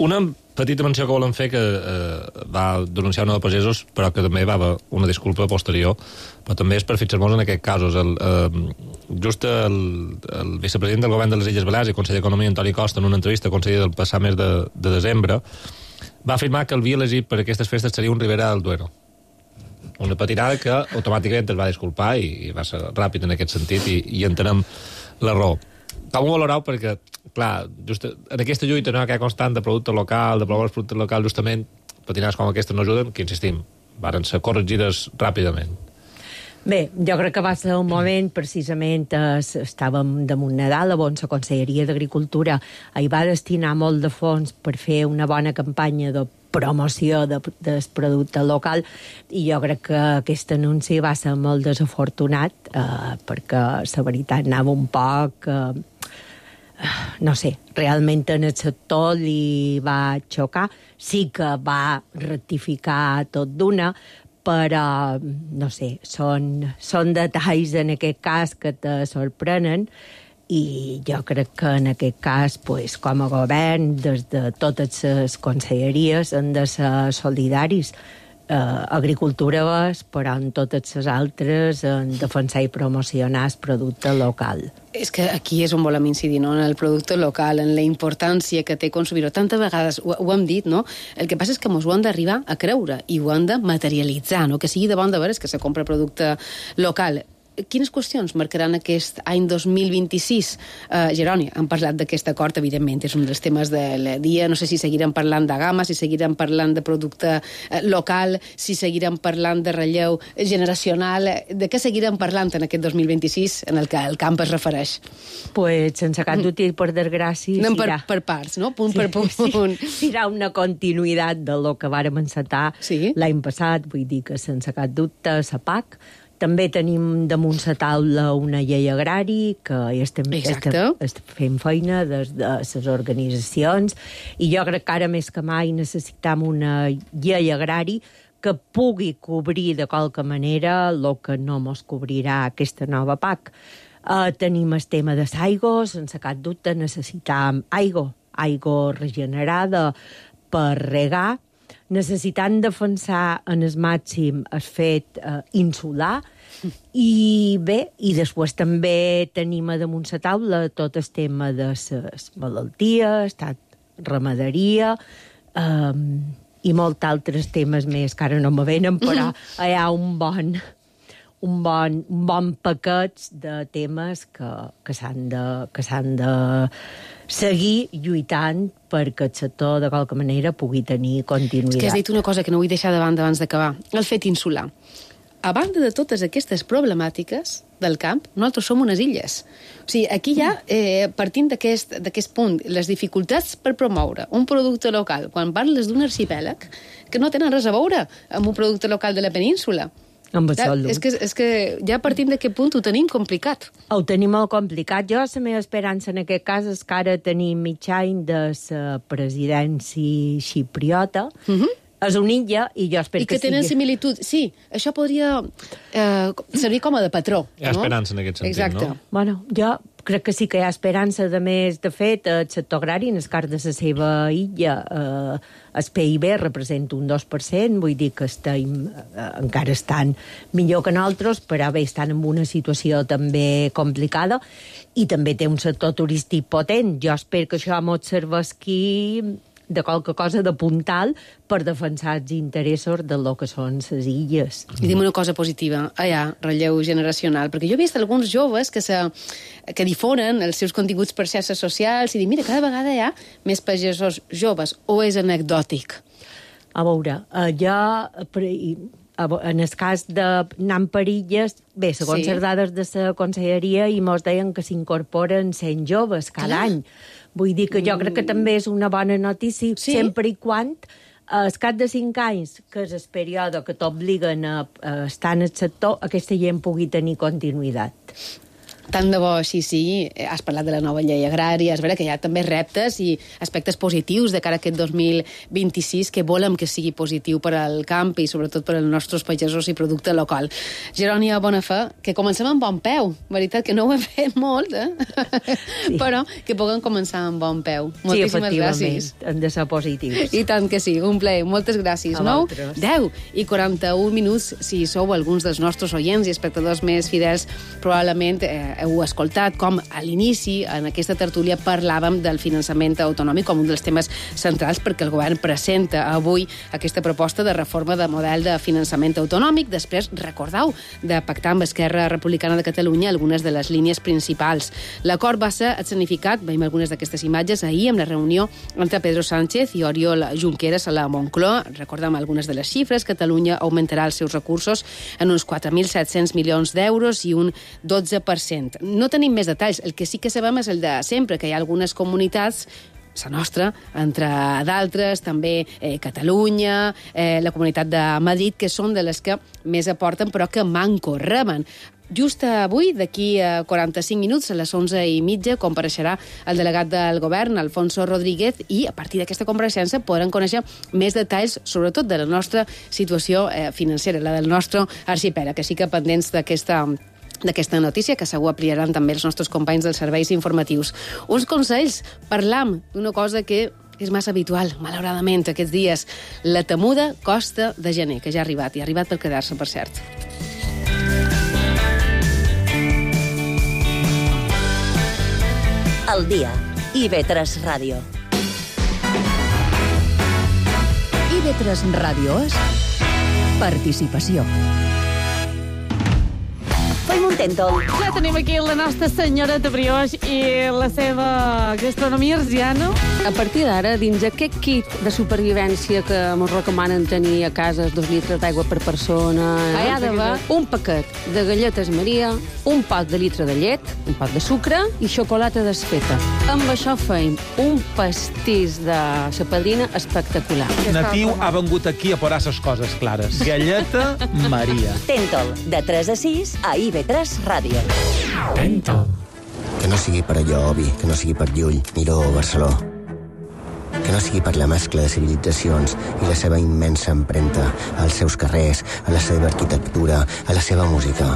Una petita menció que volen fer, que va denunciar una de pagesos, però que també va haver una disculpa posterior, però també és per fixar-nos en aquests casos. Just el vicepresident del govern de les Illes Balears i conseller d'Economia, Antoni Costa, en una entrevista al conseller del passat mes de desembre, va afirmar que el vi elegit per aquestes festes seria un Ribera del Duero. Una patinada que automàticament es va disculpar i va ser ràpid en aquest sentit i entenem la raó. Com ho valoreu? Perquè, clar, just en aquesta lluita no, que hi ha constant de producte local, de promoure els productes locals, justament patinades com aquestes no ajuden, que insistim, varen ser corregides ràpidament. Bé, jo crec que va ser un moment, precisament, estàvem damunt Nadal, on la Conselleria d'Agricultura hi va destinar molt de fons per fer una bona campanya de promoció del producte local, i jo crec que aquest anunci va ser molt desafortunat, perquè la veritat anava un poc... no sé, realment en el sector li va xocar. Sí que va rectificar tot d'una, però, no sé, són detalls en aquest cas que te sorprenen, i jo crec que en aquest cas, pues, com a govern, des de totes les conselleries han de ser solidaris. Agricultura és, però en totes les altres, en defensar i promocionar el producte local. És que aquí és on volem incidir, no? En el producte local, en la importància que té consumir-ho. Tantes vegades ho hem dit, no? El que passa és que ens ho han d'arribar a creure i ho han de materialitzar, no? Que sigui de bon de veres que se compra producte local. quines qüestions marcaran aquest any 2026? Jeroni, hem parlat d'aquest acord, evidentment, és un dels temes del dia. No sé si seguirem parlant de gamma, si seguirem parlant de producte local, si seguirem parlant de relleu generacional. De què seguirem parlant en aquest 2026 en el que el camp es refereix? Pues, sense cap dubte, per desgràcia... Anem per parts, no? Punt per punt. Serà una continuïtat de lo que vàrem encetar l'any passat, vull dir que sense cap dubte la PAC. També tenim damunt la taula una llei agrari, que estem fent feina des de les organitzacions, i jo crec que ara més que mai necessitem una llei agrari que pugui cobrir de qualque manera el que no mos cobrirà aquesta nova PAC. Tenim el tema de l'aigua, sense cap dubte necessitem aigua regenerada per regar, necessitant defensar en el màxim el fet insular, i bé, i després també tenim a damunt la taula tot el tema de les malalties, ramaderia, i molts altres temes més que ara no me venen, però hi ha un bon paquet de temes que s'han de seguir lluitant perquè el sector, de qualque manera, pugui tenir continuïtat. És que has dit una cosa que no vull deixar de banda abans d'acabar. El fet insular. A banda de totes aquestes problemàtiques del camp, nosaltres som unes illes. O sigui, aquí ja, partint d'aquest punt, les dificultats per promoure un producte local, quan parles d'un arxipèlag, que no tenen res a veure amb un producte local de la península. És que ja partint d'aquest punt ho tenim complicat. Ho tenim molt complicat. Jo, la meva esperança en aquest cas és que ara tenim mig any de la presidència xipriota, és una illa, i jo espero que sigui... I que tenen similitud. Sí, això podria servir com a de patró. Hi ha esperança en aquest sentit, no? Bueno, jo crec que sí que hi ha esperança. De més, de fet, el sector agrari, en el cas de la seva illa, el PIB representa un 2%, vull dir que encara estan millor que nosaltres, però bé, estan en una situació també complicada, i també té un sector turístic potent. Jo espero que això mos serveixi de qualque cosa de puntal per defensar els interessos de lo que són les illes. I dime una cosa positiva, relleu generacional, perquè jo he vist alguns joves que difonen els seus continguts per xarxes socials i diuen, mira, cada vegada hi ha més pagesos joves, o és anecdòtic? A veure, en el cas d'anar per illes, bé, segons les dades de la conselleria, i mos deien que s'incorporen 100 joves cada any. Vull dir que jo crec que també és una bona notícia, sempre i quan al cap de 5 anys, que és el període que t'obliguen a estar en el sector, aquesta gent pugui tenir continuïtat. Tant de bo, sí. Has parlat de la nova llei agrària, és vera que hi ha també reptes i aspectes positius de cara a aquest 2026 que volem que sigui positiu per al camp i sobretot per als nostres pagesos i producte local. Jeroni Bonafè, que comencem amb bon peu. Veritat que no ho hem fet molt, sí. Però que puguem començar amb bon peu. Moltíssimes gràcies. Hem de ser positius. I tant que sí, un plaer. Moltes gràcies. 9, 10 i 41 minuts, si sou alguns dels nostres oients i espectadors més fidels, probablement heu escoltat com a l'inici en aquesta tertúlia parlàvem del finançament autonòmic com un dels temes centrals, perquè el govern presenta avui aquesta proposta de reforma de model de finançament autonòmic. Després, recordeu, de pactar amb Esquerra Republicana de Catalunya algunes de les línies principals. L'acord va ser escenificat, veiem algunes d'aquestes imatges, ahir amb la reunió entre Pedro Sánchez i Oriol Junqueras a la Moncloa. Recordem algunes de les xifres. Catalunya augmentarà els seus recursos en uns 4.700 milions d'euros i un 12%. No tenim més detalls. El que sí que sabem és el de sempre, que hi ha algunes comunitats, la nostra, entre d'altres, també Catalunya, la Comunitat de Madrid, que són de les que més aporten, però que manco reben. Just avui, d'aquí a 45 minuts, a les 11:30, compareixerà el delegat del govern, Alfonso Rodríguez, i a partir d'aquesta compareixença podran conèixer més detalls, sobretot de la nostra situació financera, la del nostre arxipèlag, que sí que pendents d'aquesta notícia, que segur ampliaran també els nostres companys dels serveis informatius. Uns consells, parlam d'una cosa que és massa habitual, malauradament, aquests dies, la temuda costa de gener, que ja ha arribat, i ha arribat per quedar-se, per cert. El dia. IB3 Ràdio. IB3 Ràdio és participació. Fem un tèntol. Ja tenim aquí la nostra senyoreta Brioix i la seva gastronomia arsiana. A partir d'ara, dins aquest kit de supervivència que ens recomanen tenir a casa 2 litres d'aigua per persona, hi ha d'haver un paquet de galletes Maria, un pot de litre de llet, un pot de sucre i xocolata desfeta. Amb això feim un pastís de sa padrina espectacular. Natiu ha vengut aquí a posar ses coses clares. Galleta Maria. Tèntol, de 3 a 6 a IB3 Ràdio. Tèntol. Que no sigui per allò, Obi, que no sigui per Llull, Miró o Barceló. Que no sigui per la mescla de civilitzacions i la seva immensa empremta als seus carrers, a la seva arquitectura, a la seva música.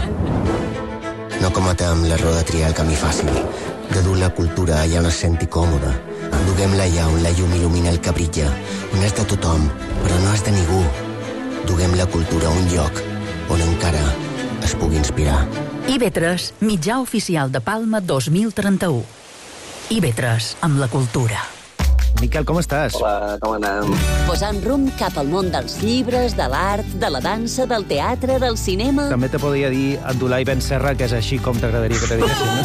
No cometa amb l'error de triar el camí fàcil, de dur la cultura allà on es senti còmoda. Duguem-la allà on la llum il·lumina el que brilla, on és de tothom, però no és de ningú. Duguem la cultura a un lloc on encara es pugui inspirar. IB3, mitjà oficial de Palma 2031. IB3, amb la cultura. Miquel, com estàs? Hola, com anem? Posant rumb cap al món dels llibres, de l'art, de la dansa, del teatre, del cinema... També te podria dir Abdulai Ben Serra, que és així com t'agradaria que te diguessin, no?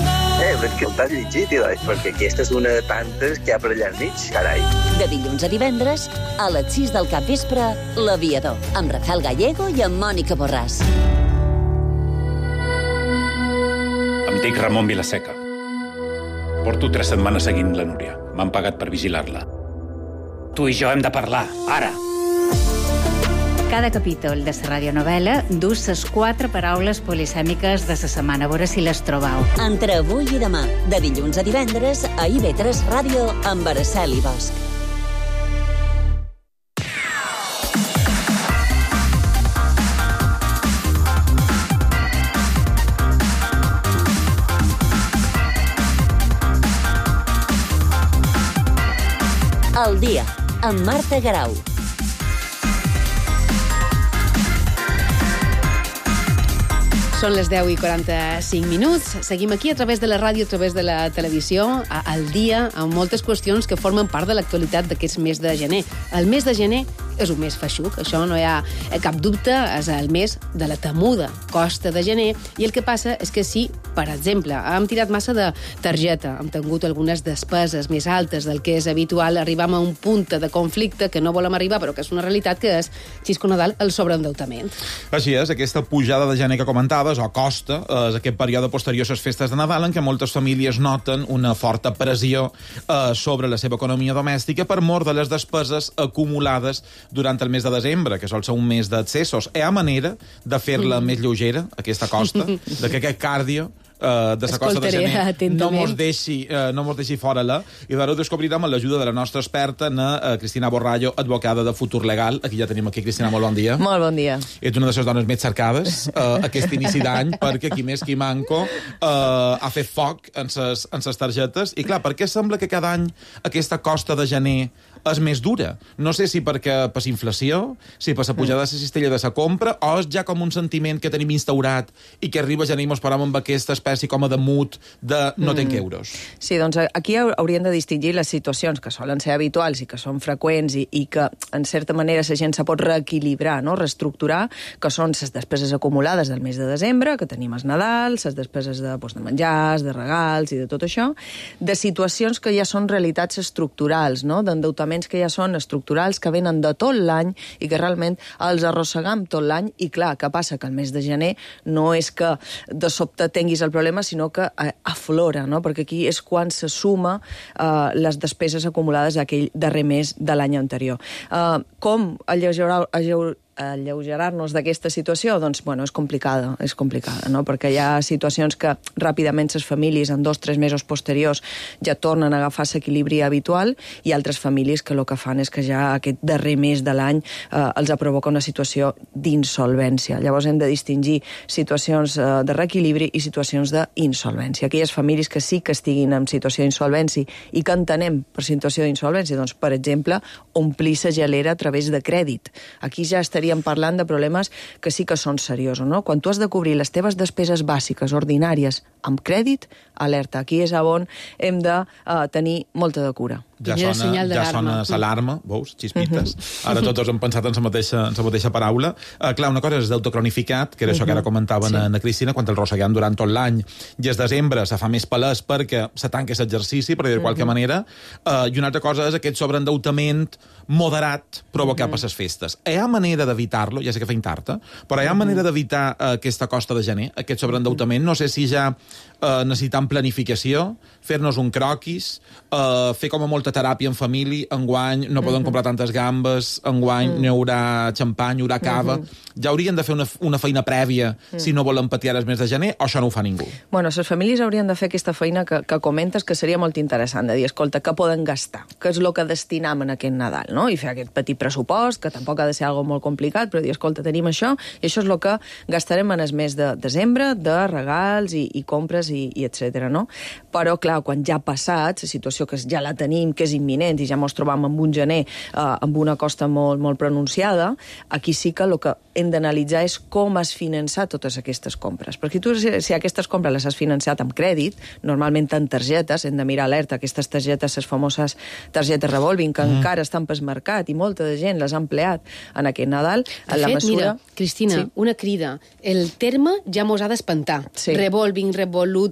Però que t'has llegit, perquè aquesta és una de tantes que hi ha per allà enmig, carai. De dilluns a divendres, a les 6 del capvespre, L'Aviador, amb Rafael Gallego i amb Mònica Borràs. Em dic Ramon Vilaseca. Porto 3 setmanes seguint la Núria. M'han pagat per vigilar-la. Tu i jo hem de parlar, ara! Cada capítol de la radionovel·la dus les 4 paraules polisèmiques de la setmana, a veure si les trobau. Entre avui i demà, de dilluns a divendres, a IB3 Ràdio, amb Araceli Bosch. El dia, amb Marta Garau. Són les 10:45. Seguim aquí a través de la ràdio, a través de la televisió, al dia, amb moltes qüestions que formen part de l'actualitat d'aquest mes de gener. El mes de gener és un mes feixuc, això no hi ha cap dubte, és el mes de la temuda costa de gener, i el que passa és que si, per exemple, hem tirat massa de targeta, hem tingut algunes despeses més altes del que és habitual, arribam a un punt de conflicte que no volem arribar, però que és una realitat, que és, Xisco Nadal, el sobreendeutament. Així és, aquesta pujada de gener que comentaves, o costa, és aquest període posterior a les festes de Nadal en què moltes famílies noten una forta pressió sobre la seva economia domèstica per mor de les despeses acumulades durant el mes de desembre, que sol ser un mes d'accessos. Hi ha manera de fer-la més lleugera, aquesta costa, de que aquest càrdio de la costa de gener no mos deixi fora-la, i d'ara ho descobrirem amb l'ajuda de la nostra experta, Cristina Borrallo, advocada de Futur Legal. Aquí ja tenim aquí. Cristina, molt bon dia. Molt bon dia. Ets una de les dones més cercades aquest inici d'any, perquè qui més qui manco ha fet foc en ses targetes. I clar, per què sembla que cada any aquesta costa de gener és més dura? No sé si perquè per inflació, si per la pujada de la cistella de la compra, o és ja com un sentiment que tenim instaurat i que arriba gener i mos param amb aquesta espècie com a de mut de no tenc euros. Sí, doncs aquí hauríem de distingir les situacions que solen ser habituals i que són freqüents i que, en certa manera, la gent se pot reequilibrar, no? Reestructurar, que són les despeses acumulades del mes de desembre, que tenim els Nadal, les despeses de menjars, de regals i de tot això, de situacions que ja són realitats estructurals, no? D'endeutaments que ja són estructurals, que venen de tot l'any i que realment els arrossegam tot l'any. I clar, què passa? Que el mes de gener no és que de sobte tinguis el problema, sinó que aflora, no? Perquè aquí és quan se suma les despeses acumulades aquell darrer mes de l'any anterior. Com alleugerar-nos d'aquesta situació? Doncs, bueno, és complicada, no? Perquè hi ha situacions que ràpidament les famílies en 2-3 mesos posteriors ja tornen a agafar l'equilibri habitual, i altres famílies que el que fan és que ja aquest darrer mes de l'any els provoca una situació d'insolvència. Llavors hem de distingir situacions de reequilibri i situacions d'insolvència. Aquelles famílies que sí que estiguin en situació d'insolvència i que entenem per situació d'insolvència, doncs, per exemple, omplir la gelera a través de crèdit. Aquí ja estaríem parlant de problemes que sí que són seriosos, no? Quan tu has de cobrir les teves despeses bàsiques, ordinàries, amb crèdit, alerta. Aquí és on hem de tenir molta de cura. Ja sona l'alarma, veus, xispites. Ara tots hem pensat en la mateixa paraula. Clar, una cosa és deute cronificat, que era això que ara comentaven a Cristina, quan el rosseguem durant tot l'any, i es desembre se fa més palès perquè se tanca aquest exercici, per dir de qualque manera, i una altra cosa és aquest sobreendeutament moderat provocat per les festes. Hi ha manera d'evitar-lo, ja sé que feim tard, però hi ha manera d'evitar aquesta costa de gener, aquest sobreendeutament? No sé si ja necessitam planificació, fer-nos un croquis, fer com a molta teràpia en família, enguany no poden comprar tantes gambes, enguany no hi haurà xampany, hi haurà cava. Ja haurien de fer una feina prèvia si no volen patir el mes de gener, o això no ho fa ningú? Bueno, les famílies haurien de fer aquesta feina que comentes, que seria molt interessant, de dir, escolta, què poden gastar? Què és el que destinam en aquest Nadal, no? I fer aquest petit pressupost, que tampoc ha de ser algo molt complicat, però dir, escolta, tenim això, i això és el que gastarem en el mes de desembre, de regals i compres i etc. no? Però, clar, quan ja ha passat, la situació que ja la tenim, que és imminent, i ja ens trobam amb un gener amb una costa molt, molt pronunciada, aquí sí que el que hem d'analitzar és com has finançat totes aquestes compres. Perquè tu, si aquestes compres les has financiat amb crèdit, normalment en targetes, hem de mirar alerta, aquestes targetes, les famoses targetes revolving, que encara estan pel mercat, i molta de gent les ha empleat en aquest Nadal. De fet, mira, Cristina, una crida. El terme ja mos ha d'espantar. Revolving, revolut,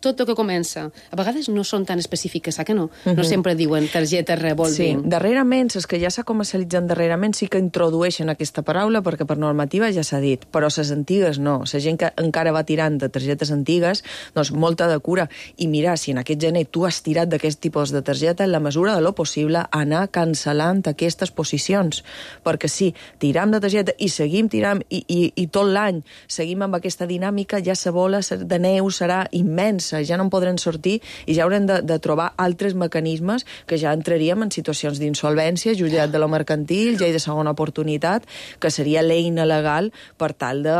tot el que comença. A vegades no són tan específiques, que no? No sempre diuen targeta revolving. Sí, darrerament, els que ja s'ha comercialitzat darrerament sí que introdueixen aquesta paraula, perquè per normativa ja s'ha dit, però les antigues no. La gent que encara va tirant de targetes antigues, doncs molta de cura. I mira, si en aquest gener tu has tirat d'aquest tipus de targeta, en la mesura de lo possible, anar cancel·lant aquestes posicions. Perquè si tiram de targeta i seguim tirant i tot l'any seguim amb aquesta dinàmica, ja la bola de neu serà immensa, ja no en podrem sortir i ja haurem de trobar altres mecanismes que ja entraríem en situacions d'insolvència, jutjat de lo mercantil, llei de segona oportunitat, que seria l'eina legal per tal de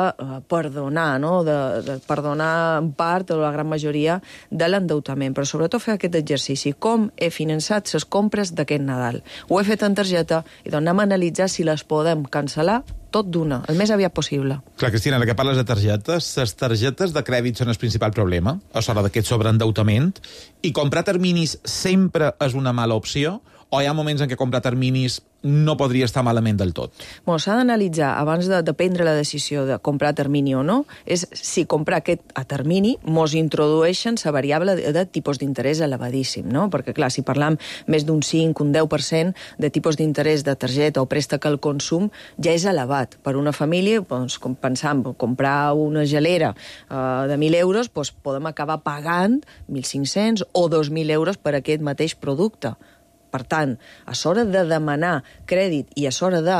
perdonar, no? de perdonar en part o la gran majoria de l'endeutament, però sobretot fer aquest exercici. Com he finançat les compres d'aquest Nadal? Ho he fet en targeta i doncs anem a analitzar si les podem cancel·lar tot d'una, el més aviat possible. Clar, Cristina, ara que parles de targetes, les targetes de crèdit són el principal problema, a l'hora d'aquest sobreendeutament, i comprar terminis sempre és una mala opció, o hi ha moments en què comprar terminis no podria estar malament del tot? Bueno, s'ha d'analitzar, abans de prendre la decisió de comprar a termini o no, és si comprar aquest a termini mos introdueixen la variable de tipus d'interès elevadíssim, no? Perquè, clar, si parlam més d'un 5, un 10% de tipus d'interès de targeta o préstec al consum, ja és elevat. Per una família, doncs, pensant, comprar una gelera de 1.000 euros, doncs podem acabar pagant 1.500 o 2.000 euros per aquest mateix producte. Per tant, a l'hora de demanar crèdit i a l'hora de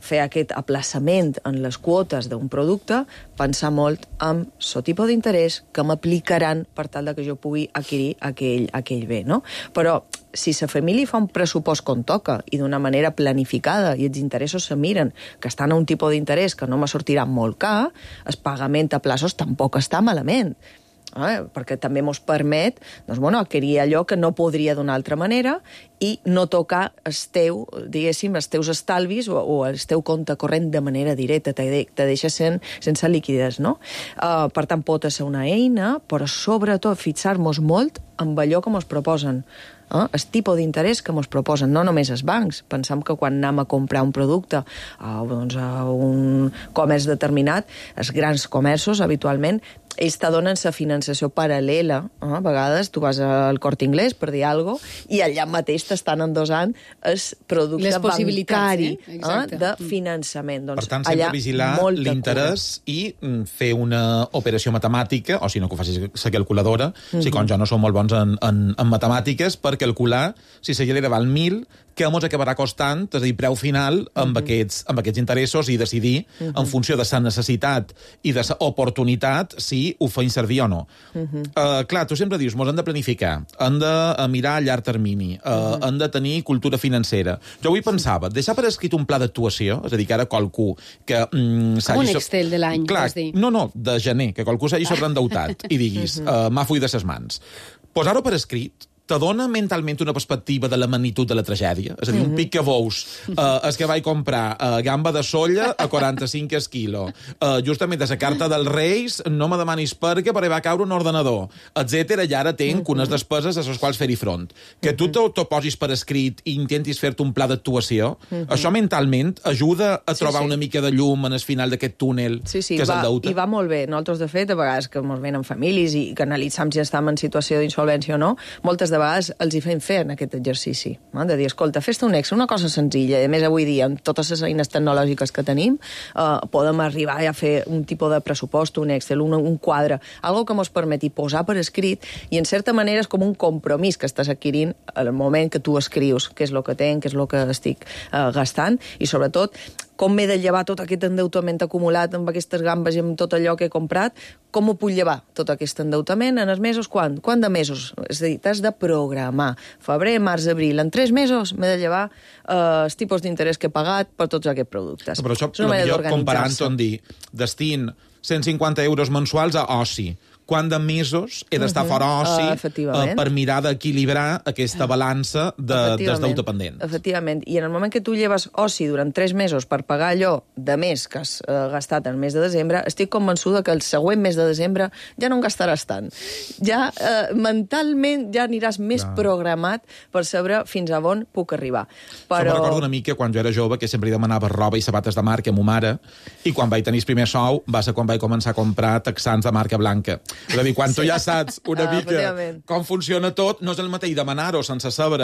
fer aquest aplaçament en les quotes d'un producte, pensar molt en el tipus d'interès que m'aplicaran per tal que jo pugui adquirir aquell bé, no? Però si la família fa un pressupost com toca i d'una manera planificada i els interessos se miren que estan a un tipus d'interès que no me sortirà molt car, el pagament a plaços tampoc està malament. Perquè també ens permet adquirir allò que no podria d'una altra manera i no tocar els teus estalvis o el teu compte corrent de manera directa, te deixa sense liquiditat, no? Per tant, pot ser una eina, però sobretot fixar-nos molt amb allò que ens proposen. El tipus d'interès que ens proposen, no només els bancs. Pensem que quan anem a comprar un producte a un comerç determinat, els grans comerços, habitualment, ells te donen la finançació paral·lela. A vegades tu vas al Corte Inglés, per dir alguna cosa, i allà mateix t'estan endossant el producte bancari de finançament. Per tant, sempre vigilar l'interès i fer una operació matemàtica, o si no, que ho facis la calculadora, si com jo no som molt bons en matemàtiques, per calcular si la gelera val 1.000, que ens acabarà costant, és a dir, preu final amb aquests interessos i decidir en funció de la necessitat i de l'oportunitat si ho feim servir o no. Clar, tu sempre dius, ens hem de planificar, hem de mirar a llarg termini, hem de tenir cultura financera. Jo avui pensava, deixar per escrit un pla d'actuació, és a dir, que ara qualcú que un Excel de l'any, vols dir? No, de gener, que qualcú s'hagi sobreendeutat i diguis, m'ha fuit de ses mans. Posar-ho per escrit, te dona mentalment una perspectiva de la magnitud de la tragèdia. És a dir, un pic que veus, és que vaig comprar gamba de solla a 45 quilo. Justament a la carta dels Reis no me demanis per què va caure un ordenador, etc. I ara tenc unes despeses a les quals fer-hi front. Que tu t'ho posis per escrit i intentis fer-te un pla d'actuació, això mentalment ajuda a trobar una mica de llum en el final d'aquest túnel que és el deute. I va molt bé. Nosaltres, de fet, a vegades que ens venen famílies i que analitzam si estem en situació d'insolvència o no, moltes de vegades els hi fem fer en aquest exercici, de dir, escolta, fes-te un Excel, una cosa senzilla, i a més avui dia, amb totes les eines tecnològiques que tenim, podem arribar a fer un tipus de pressupost, un Excel, un quadre, algo que ens permeti posar per escrit, i en certa manera és com un compromís que estàs adquirint al moment que tu escrius què és el que tenc, què és el que estic gastant, i sobretot com m'he de llevar tot aquest endeutament acumulat amb aquestes gambes i amb tot allò que he comprat, com ho puc llevar, tot aquest endeutament, en els mesos, quan? Quant de mesos? És a dir, t'has de programar. Febrer, març, abril, en 3 mesos m'he de llevar els tipus d'interès que he pagat per tots aquests productes. Però això, millor comparant-ho en dir, destin 150 euros mensuals a oci. Quant de mesos he d'estar fora oci per mirar d'equilibrar aquesta balança dels deute pendents. Efectivament. I en el moment que tu lleves oci durant 3 mesos per pagar allò de més que has gastat en el mes de desembre, estic convençuda que el següent mes de desembre ja no en gastaràs tant. Ja mentalment ja aniràs més programat per saber fins a on puc arribar. Però... Això me recordo una mica quan jo era jove, que sempre li demanava roba i sabates de marca a ma mare, i quan vaig tenir el primer sou va ser quan vaig començar a comprar texans de marca blanca. És a dir, quan tu ja saps una mica com funciona tot, no és el mateix demanar-ho sense saber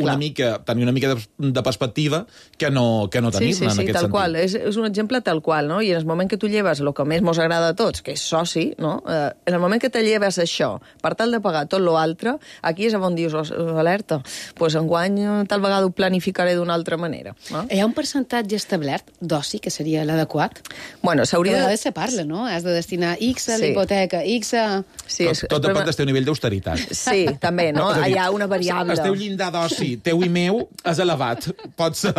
una mica, tenir una mica de perspectiva que no tenir-ne en aquest sentit. Tal qual. És un exemple tal qual, no? I en el moment que tu lleves el que més mos agrada a tots, que és soci, no? En el moment que te lleves això, per tal de pagar tot l'altre, aquí és on dius, alerta, doncs enguany tal vegada ho planificaré d'una altra manera. Hi ha un percentatge establert d'oci que seria l'adequat? Bueno, s'hauria de se parla, no? Has de destinar X a l'hipoteca, X a... Sí, tot depèn del teu nivell d'austeritat. Sí, també, no? Hi ha una variable. El teu llindar d'oci, teu i meu, és elevat. Pot ser,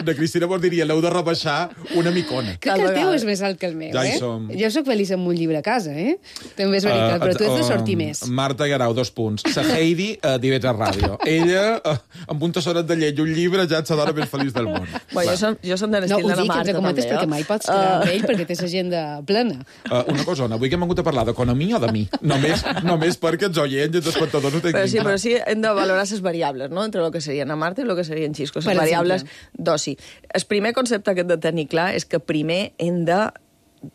de Cristina vos diria, l'heu de rebaixar una micona. Crec que el teu és més alt que el meu, Jo soc feliç amb un llibre a casa, També és veritat, però tu has de sortir més. Marta Guerau, 2 punts. Sa Heidi, d'IV3 Ràdio. Ella, amb un tassonet de llet i un llibre, ja ets la dona més feliç del món. Jo som de l'estil de la Marta, també. No, ho dic, ens comentes perquè mai pots quedar amb ell, perquè tens agenda plena. Una cosa, avui que hem hagut a parlar d'economia o de mi? Només perquè els oients i els espectadors ho tinguin. Però sí, hem de valorar les variables, no?, entre el que serien a Marta i el que serien xiscos. Les variables d'oci. El primer concepte que hem de tenir clar és que primer hem de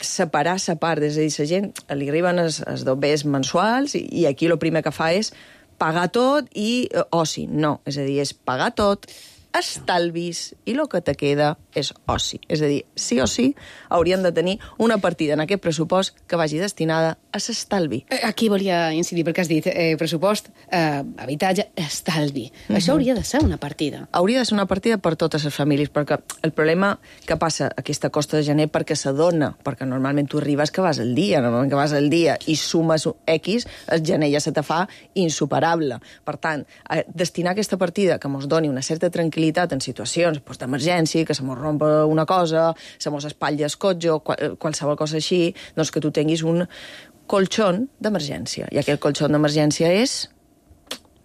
separar sa part. És a dir, la gent li arriben els dobbers mensuals i aquí el primer que fa és pagar tot i oci. No, és a dir, és pagar tot, estalvis i el que te queda és oci. És a dir, sí o sí hauríem de tenir una partida en aquest pressupost que vagi destinada a l'estalvi. Aquí volia incidir, perquè has dit pressupost, habitatge, estalvi. Això hauria de ser una partida. Hauria de ser una partida per totes les famílies, perquè el problema que passa aquesta costa de gener perquè s'adona, perquè normalment tu arribes que vas al dia, normalment que vas al dia i sumes X, el gener ja se te fa insuperable. Per tant, destinar aquesta partida que ens doni una certa tranquil·litat en situacions d'emergència, que se mos rompa una cosa, se mos espatlli el cotxe o qualsevol cosa així, doncs que tu tinguis un colxón d'emergència. I aquest colxón d'emergència és,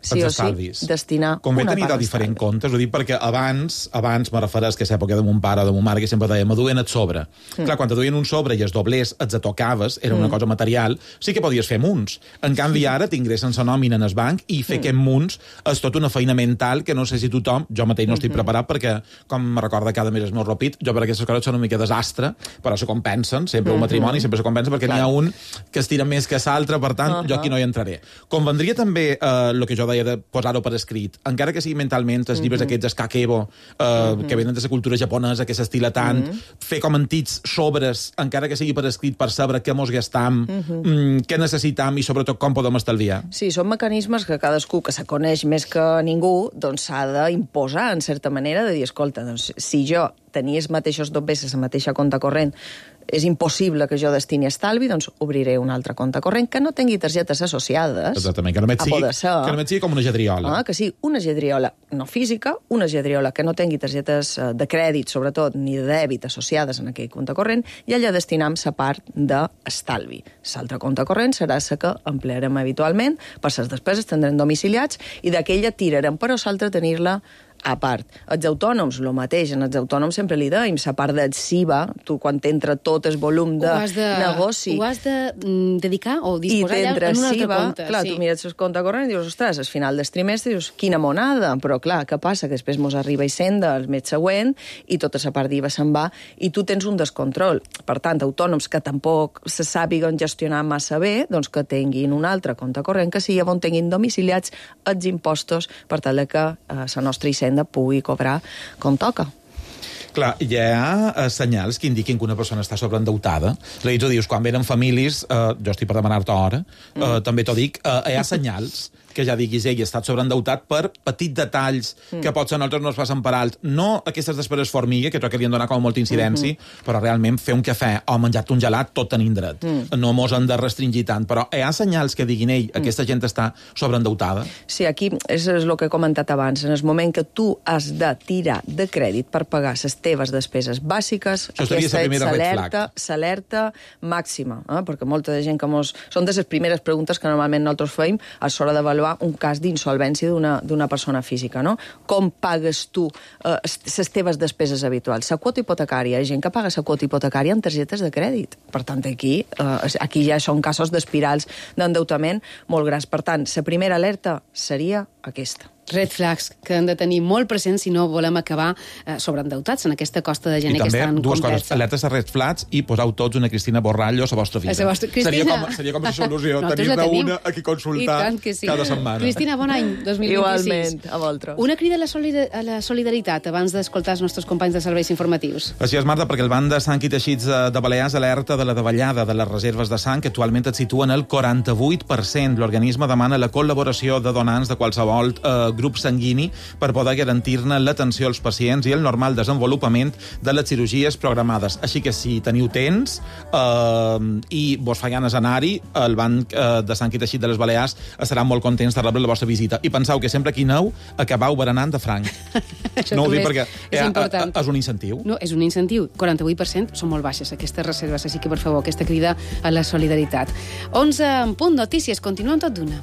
sí o sí, destinar convé una tenir part de diferents comptes, ho dic perquè abans me refereix que a l'època de mon pare o de mon mare que sempre deia, me duien el sobre. Clar, quan te duien un sobre i els doblers els tocaves, era una cosa material, sí que podies fer munts. En canvi ara t'ingressen la nòmina en el banc i fer aquest munts és tot una feina mental que no sé si tothom, jo mateix no estic preparat perquè, com me recorda cada mes el meu ropit, jo per aquestes coses són una mica desastre, però se compensen, sempre un matrimoni sempre se compensa perquè n'hi ha un que es tira més que l'altre, per tant, jo aquí no hi entraré. Convendria també el que jo deia de posar-ho per escrit, encara que sigui mentalment, els llibres aquests, el kakebo, que venen de la cultura japonesa, que s'estila tant, fer com antits sobres, encara que sigui per escrit, per saber què mos gastam, què necessitam i sobretot com podem estalviar. Sí, són mecanismes que cadascú que se coneix més que ningú doncs s'ha d'imposar, en certa manera, de dir, escolta, doncs, si jo tenia els mateixos dobbers, la mateixa compte corrent, és impossible que jo destini estalvi, doncs obriré un altre compte corrent que no tingui targetes associades. Exactament, que només sigui com una gedriola. Que sigui una gedriola no física, una gedriola que no tingui targetes de crèdit, sobretot, ni de dèbit associades en aquell compte corrent, i allà destinam la part d'estalvi. L'altre compte corrent serà la que emplearem habitualment per les despeses, tindrem domiciliats, i d'aquella tirarem, però l'altra tenir-la a part. Els autònoms, el mateix, en els autònoms sempre li deim, la part d'adsiva, tu quan t'entra tot el volum de negoci... Ho has de dedicar o disposar allà en un altre compte. Clar, tu mires el compte corrent i dius, ostres, al final del trimestre dius, quina monada, però clar, què passa? Que després mos arriba Hisenda el mes següent i tota la part d'IVA se'n va i tu tens un descontrol. Per tant, autònoms que tampoc se sàpiguen gestionar massa bé, doncs que tinguin un altre compte corrent que sigui on tinguin domiciliats els impostos per tal que la nostra Hisenda pugui cobrar com toca. Clar, hi ha senyals que indiquin que una persona està sobreendeutada. És a dir, tu dius, quan venen famílies, jo estic per demanar-te hora, també t'ho dic, hi ha senyals que ja diguis, ell ha estat sobreendeutat per petits detalls que potser nosaltres no es passen per alt. No aquestes despeses formiga, que crec que li han donat com molta incidència, però realment fer un cafè o menjar-te un gelat, tot tenint dret. No mos han de restringir tant, però hi ha senyals que diguin, aquesta gent està sobreendeutada? Sí, aquí és el que he comentat abans. En el moment que tu has de tirar de crèdit per pagar les teves despeses bàsiques, aquesta és l'alerta màxima, perquè molta de gent que són de les primeres preguntes que normalment nosaltres feim a l'hora d'avaluar un cas d'insolvència d'una persona física, no? Com pagues tu les teves despeses habituals? La quota hipotecària, hi ha gent que paga la quota hipotecària amb targetes de crèdit. Per tant, aquí ja són casos d'espirals d'endeutament molt grans. Per tant, la primera alerta seria aquesta. Red flags que han de tenir molt presents si no volem acabar sobreendeutats en aquesta costa de gener que està en conversa. I també dues coses, alertes a red flags i poseu tots una Cristina Borrallo a la vostra vida. Seria com la solució, tenir-ne una a qui consultar cada setmana. Cristina, bon any, 2026. Igualment, a vosaltres. Una crida a la solidaritat abans d'escoltar els nostres companys de serveis informatius. Així és, Marta, perquè el Banc de Sang i Teixits de Balears alerta de la davallada de les reserves de sang, que actualment et situen el 48%. L'organisme demana la col·laboració de donants de qualsevol grup sanguini per poder garantir-ne l'atenció als pacients i el normal desenvolupament de les cirurgies programades. Així que si teniu temps i vos fa ganes anar-hi, el Banc de Sang i Teixit de les Balears estaran molt contents de rebre la vostra visita. I penseu que sempre que hi aneu, acabau berenant de franc. No ho dic perquè és un incentiu. No, és un incentiu. 48% són molt baixes aquestes reserves, així que, per favor, aquesta crida a la solidaritat. 11 en punt, notícies. Continuem tot d'una.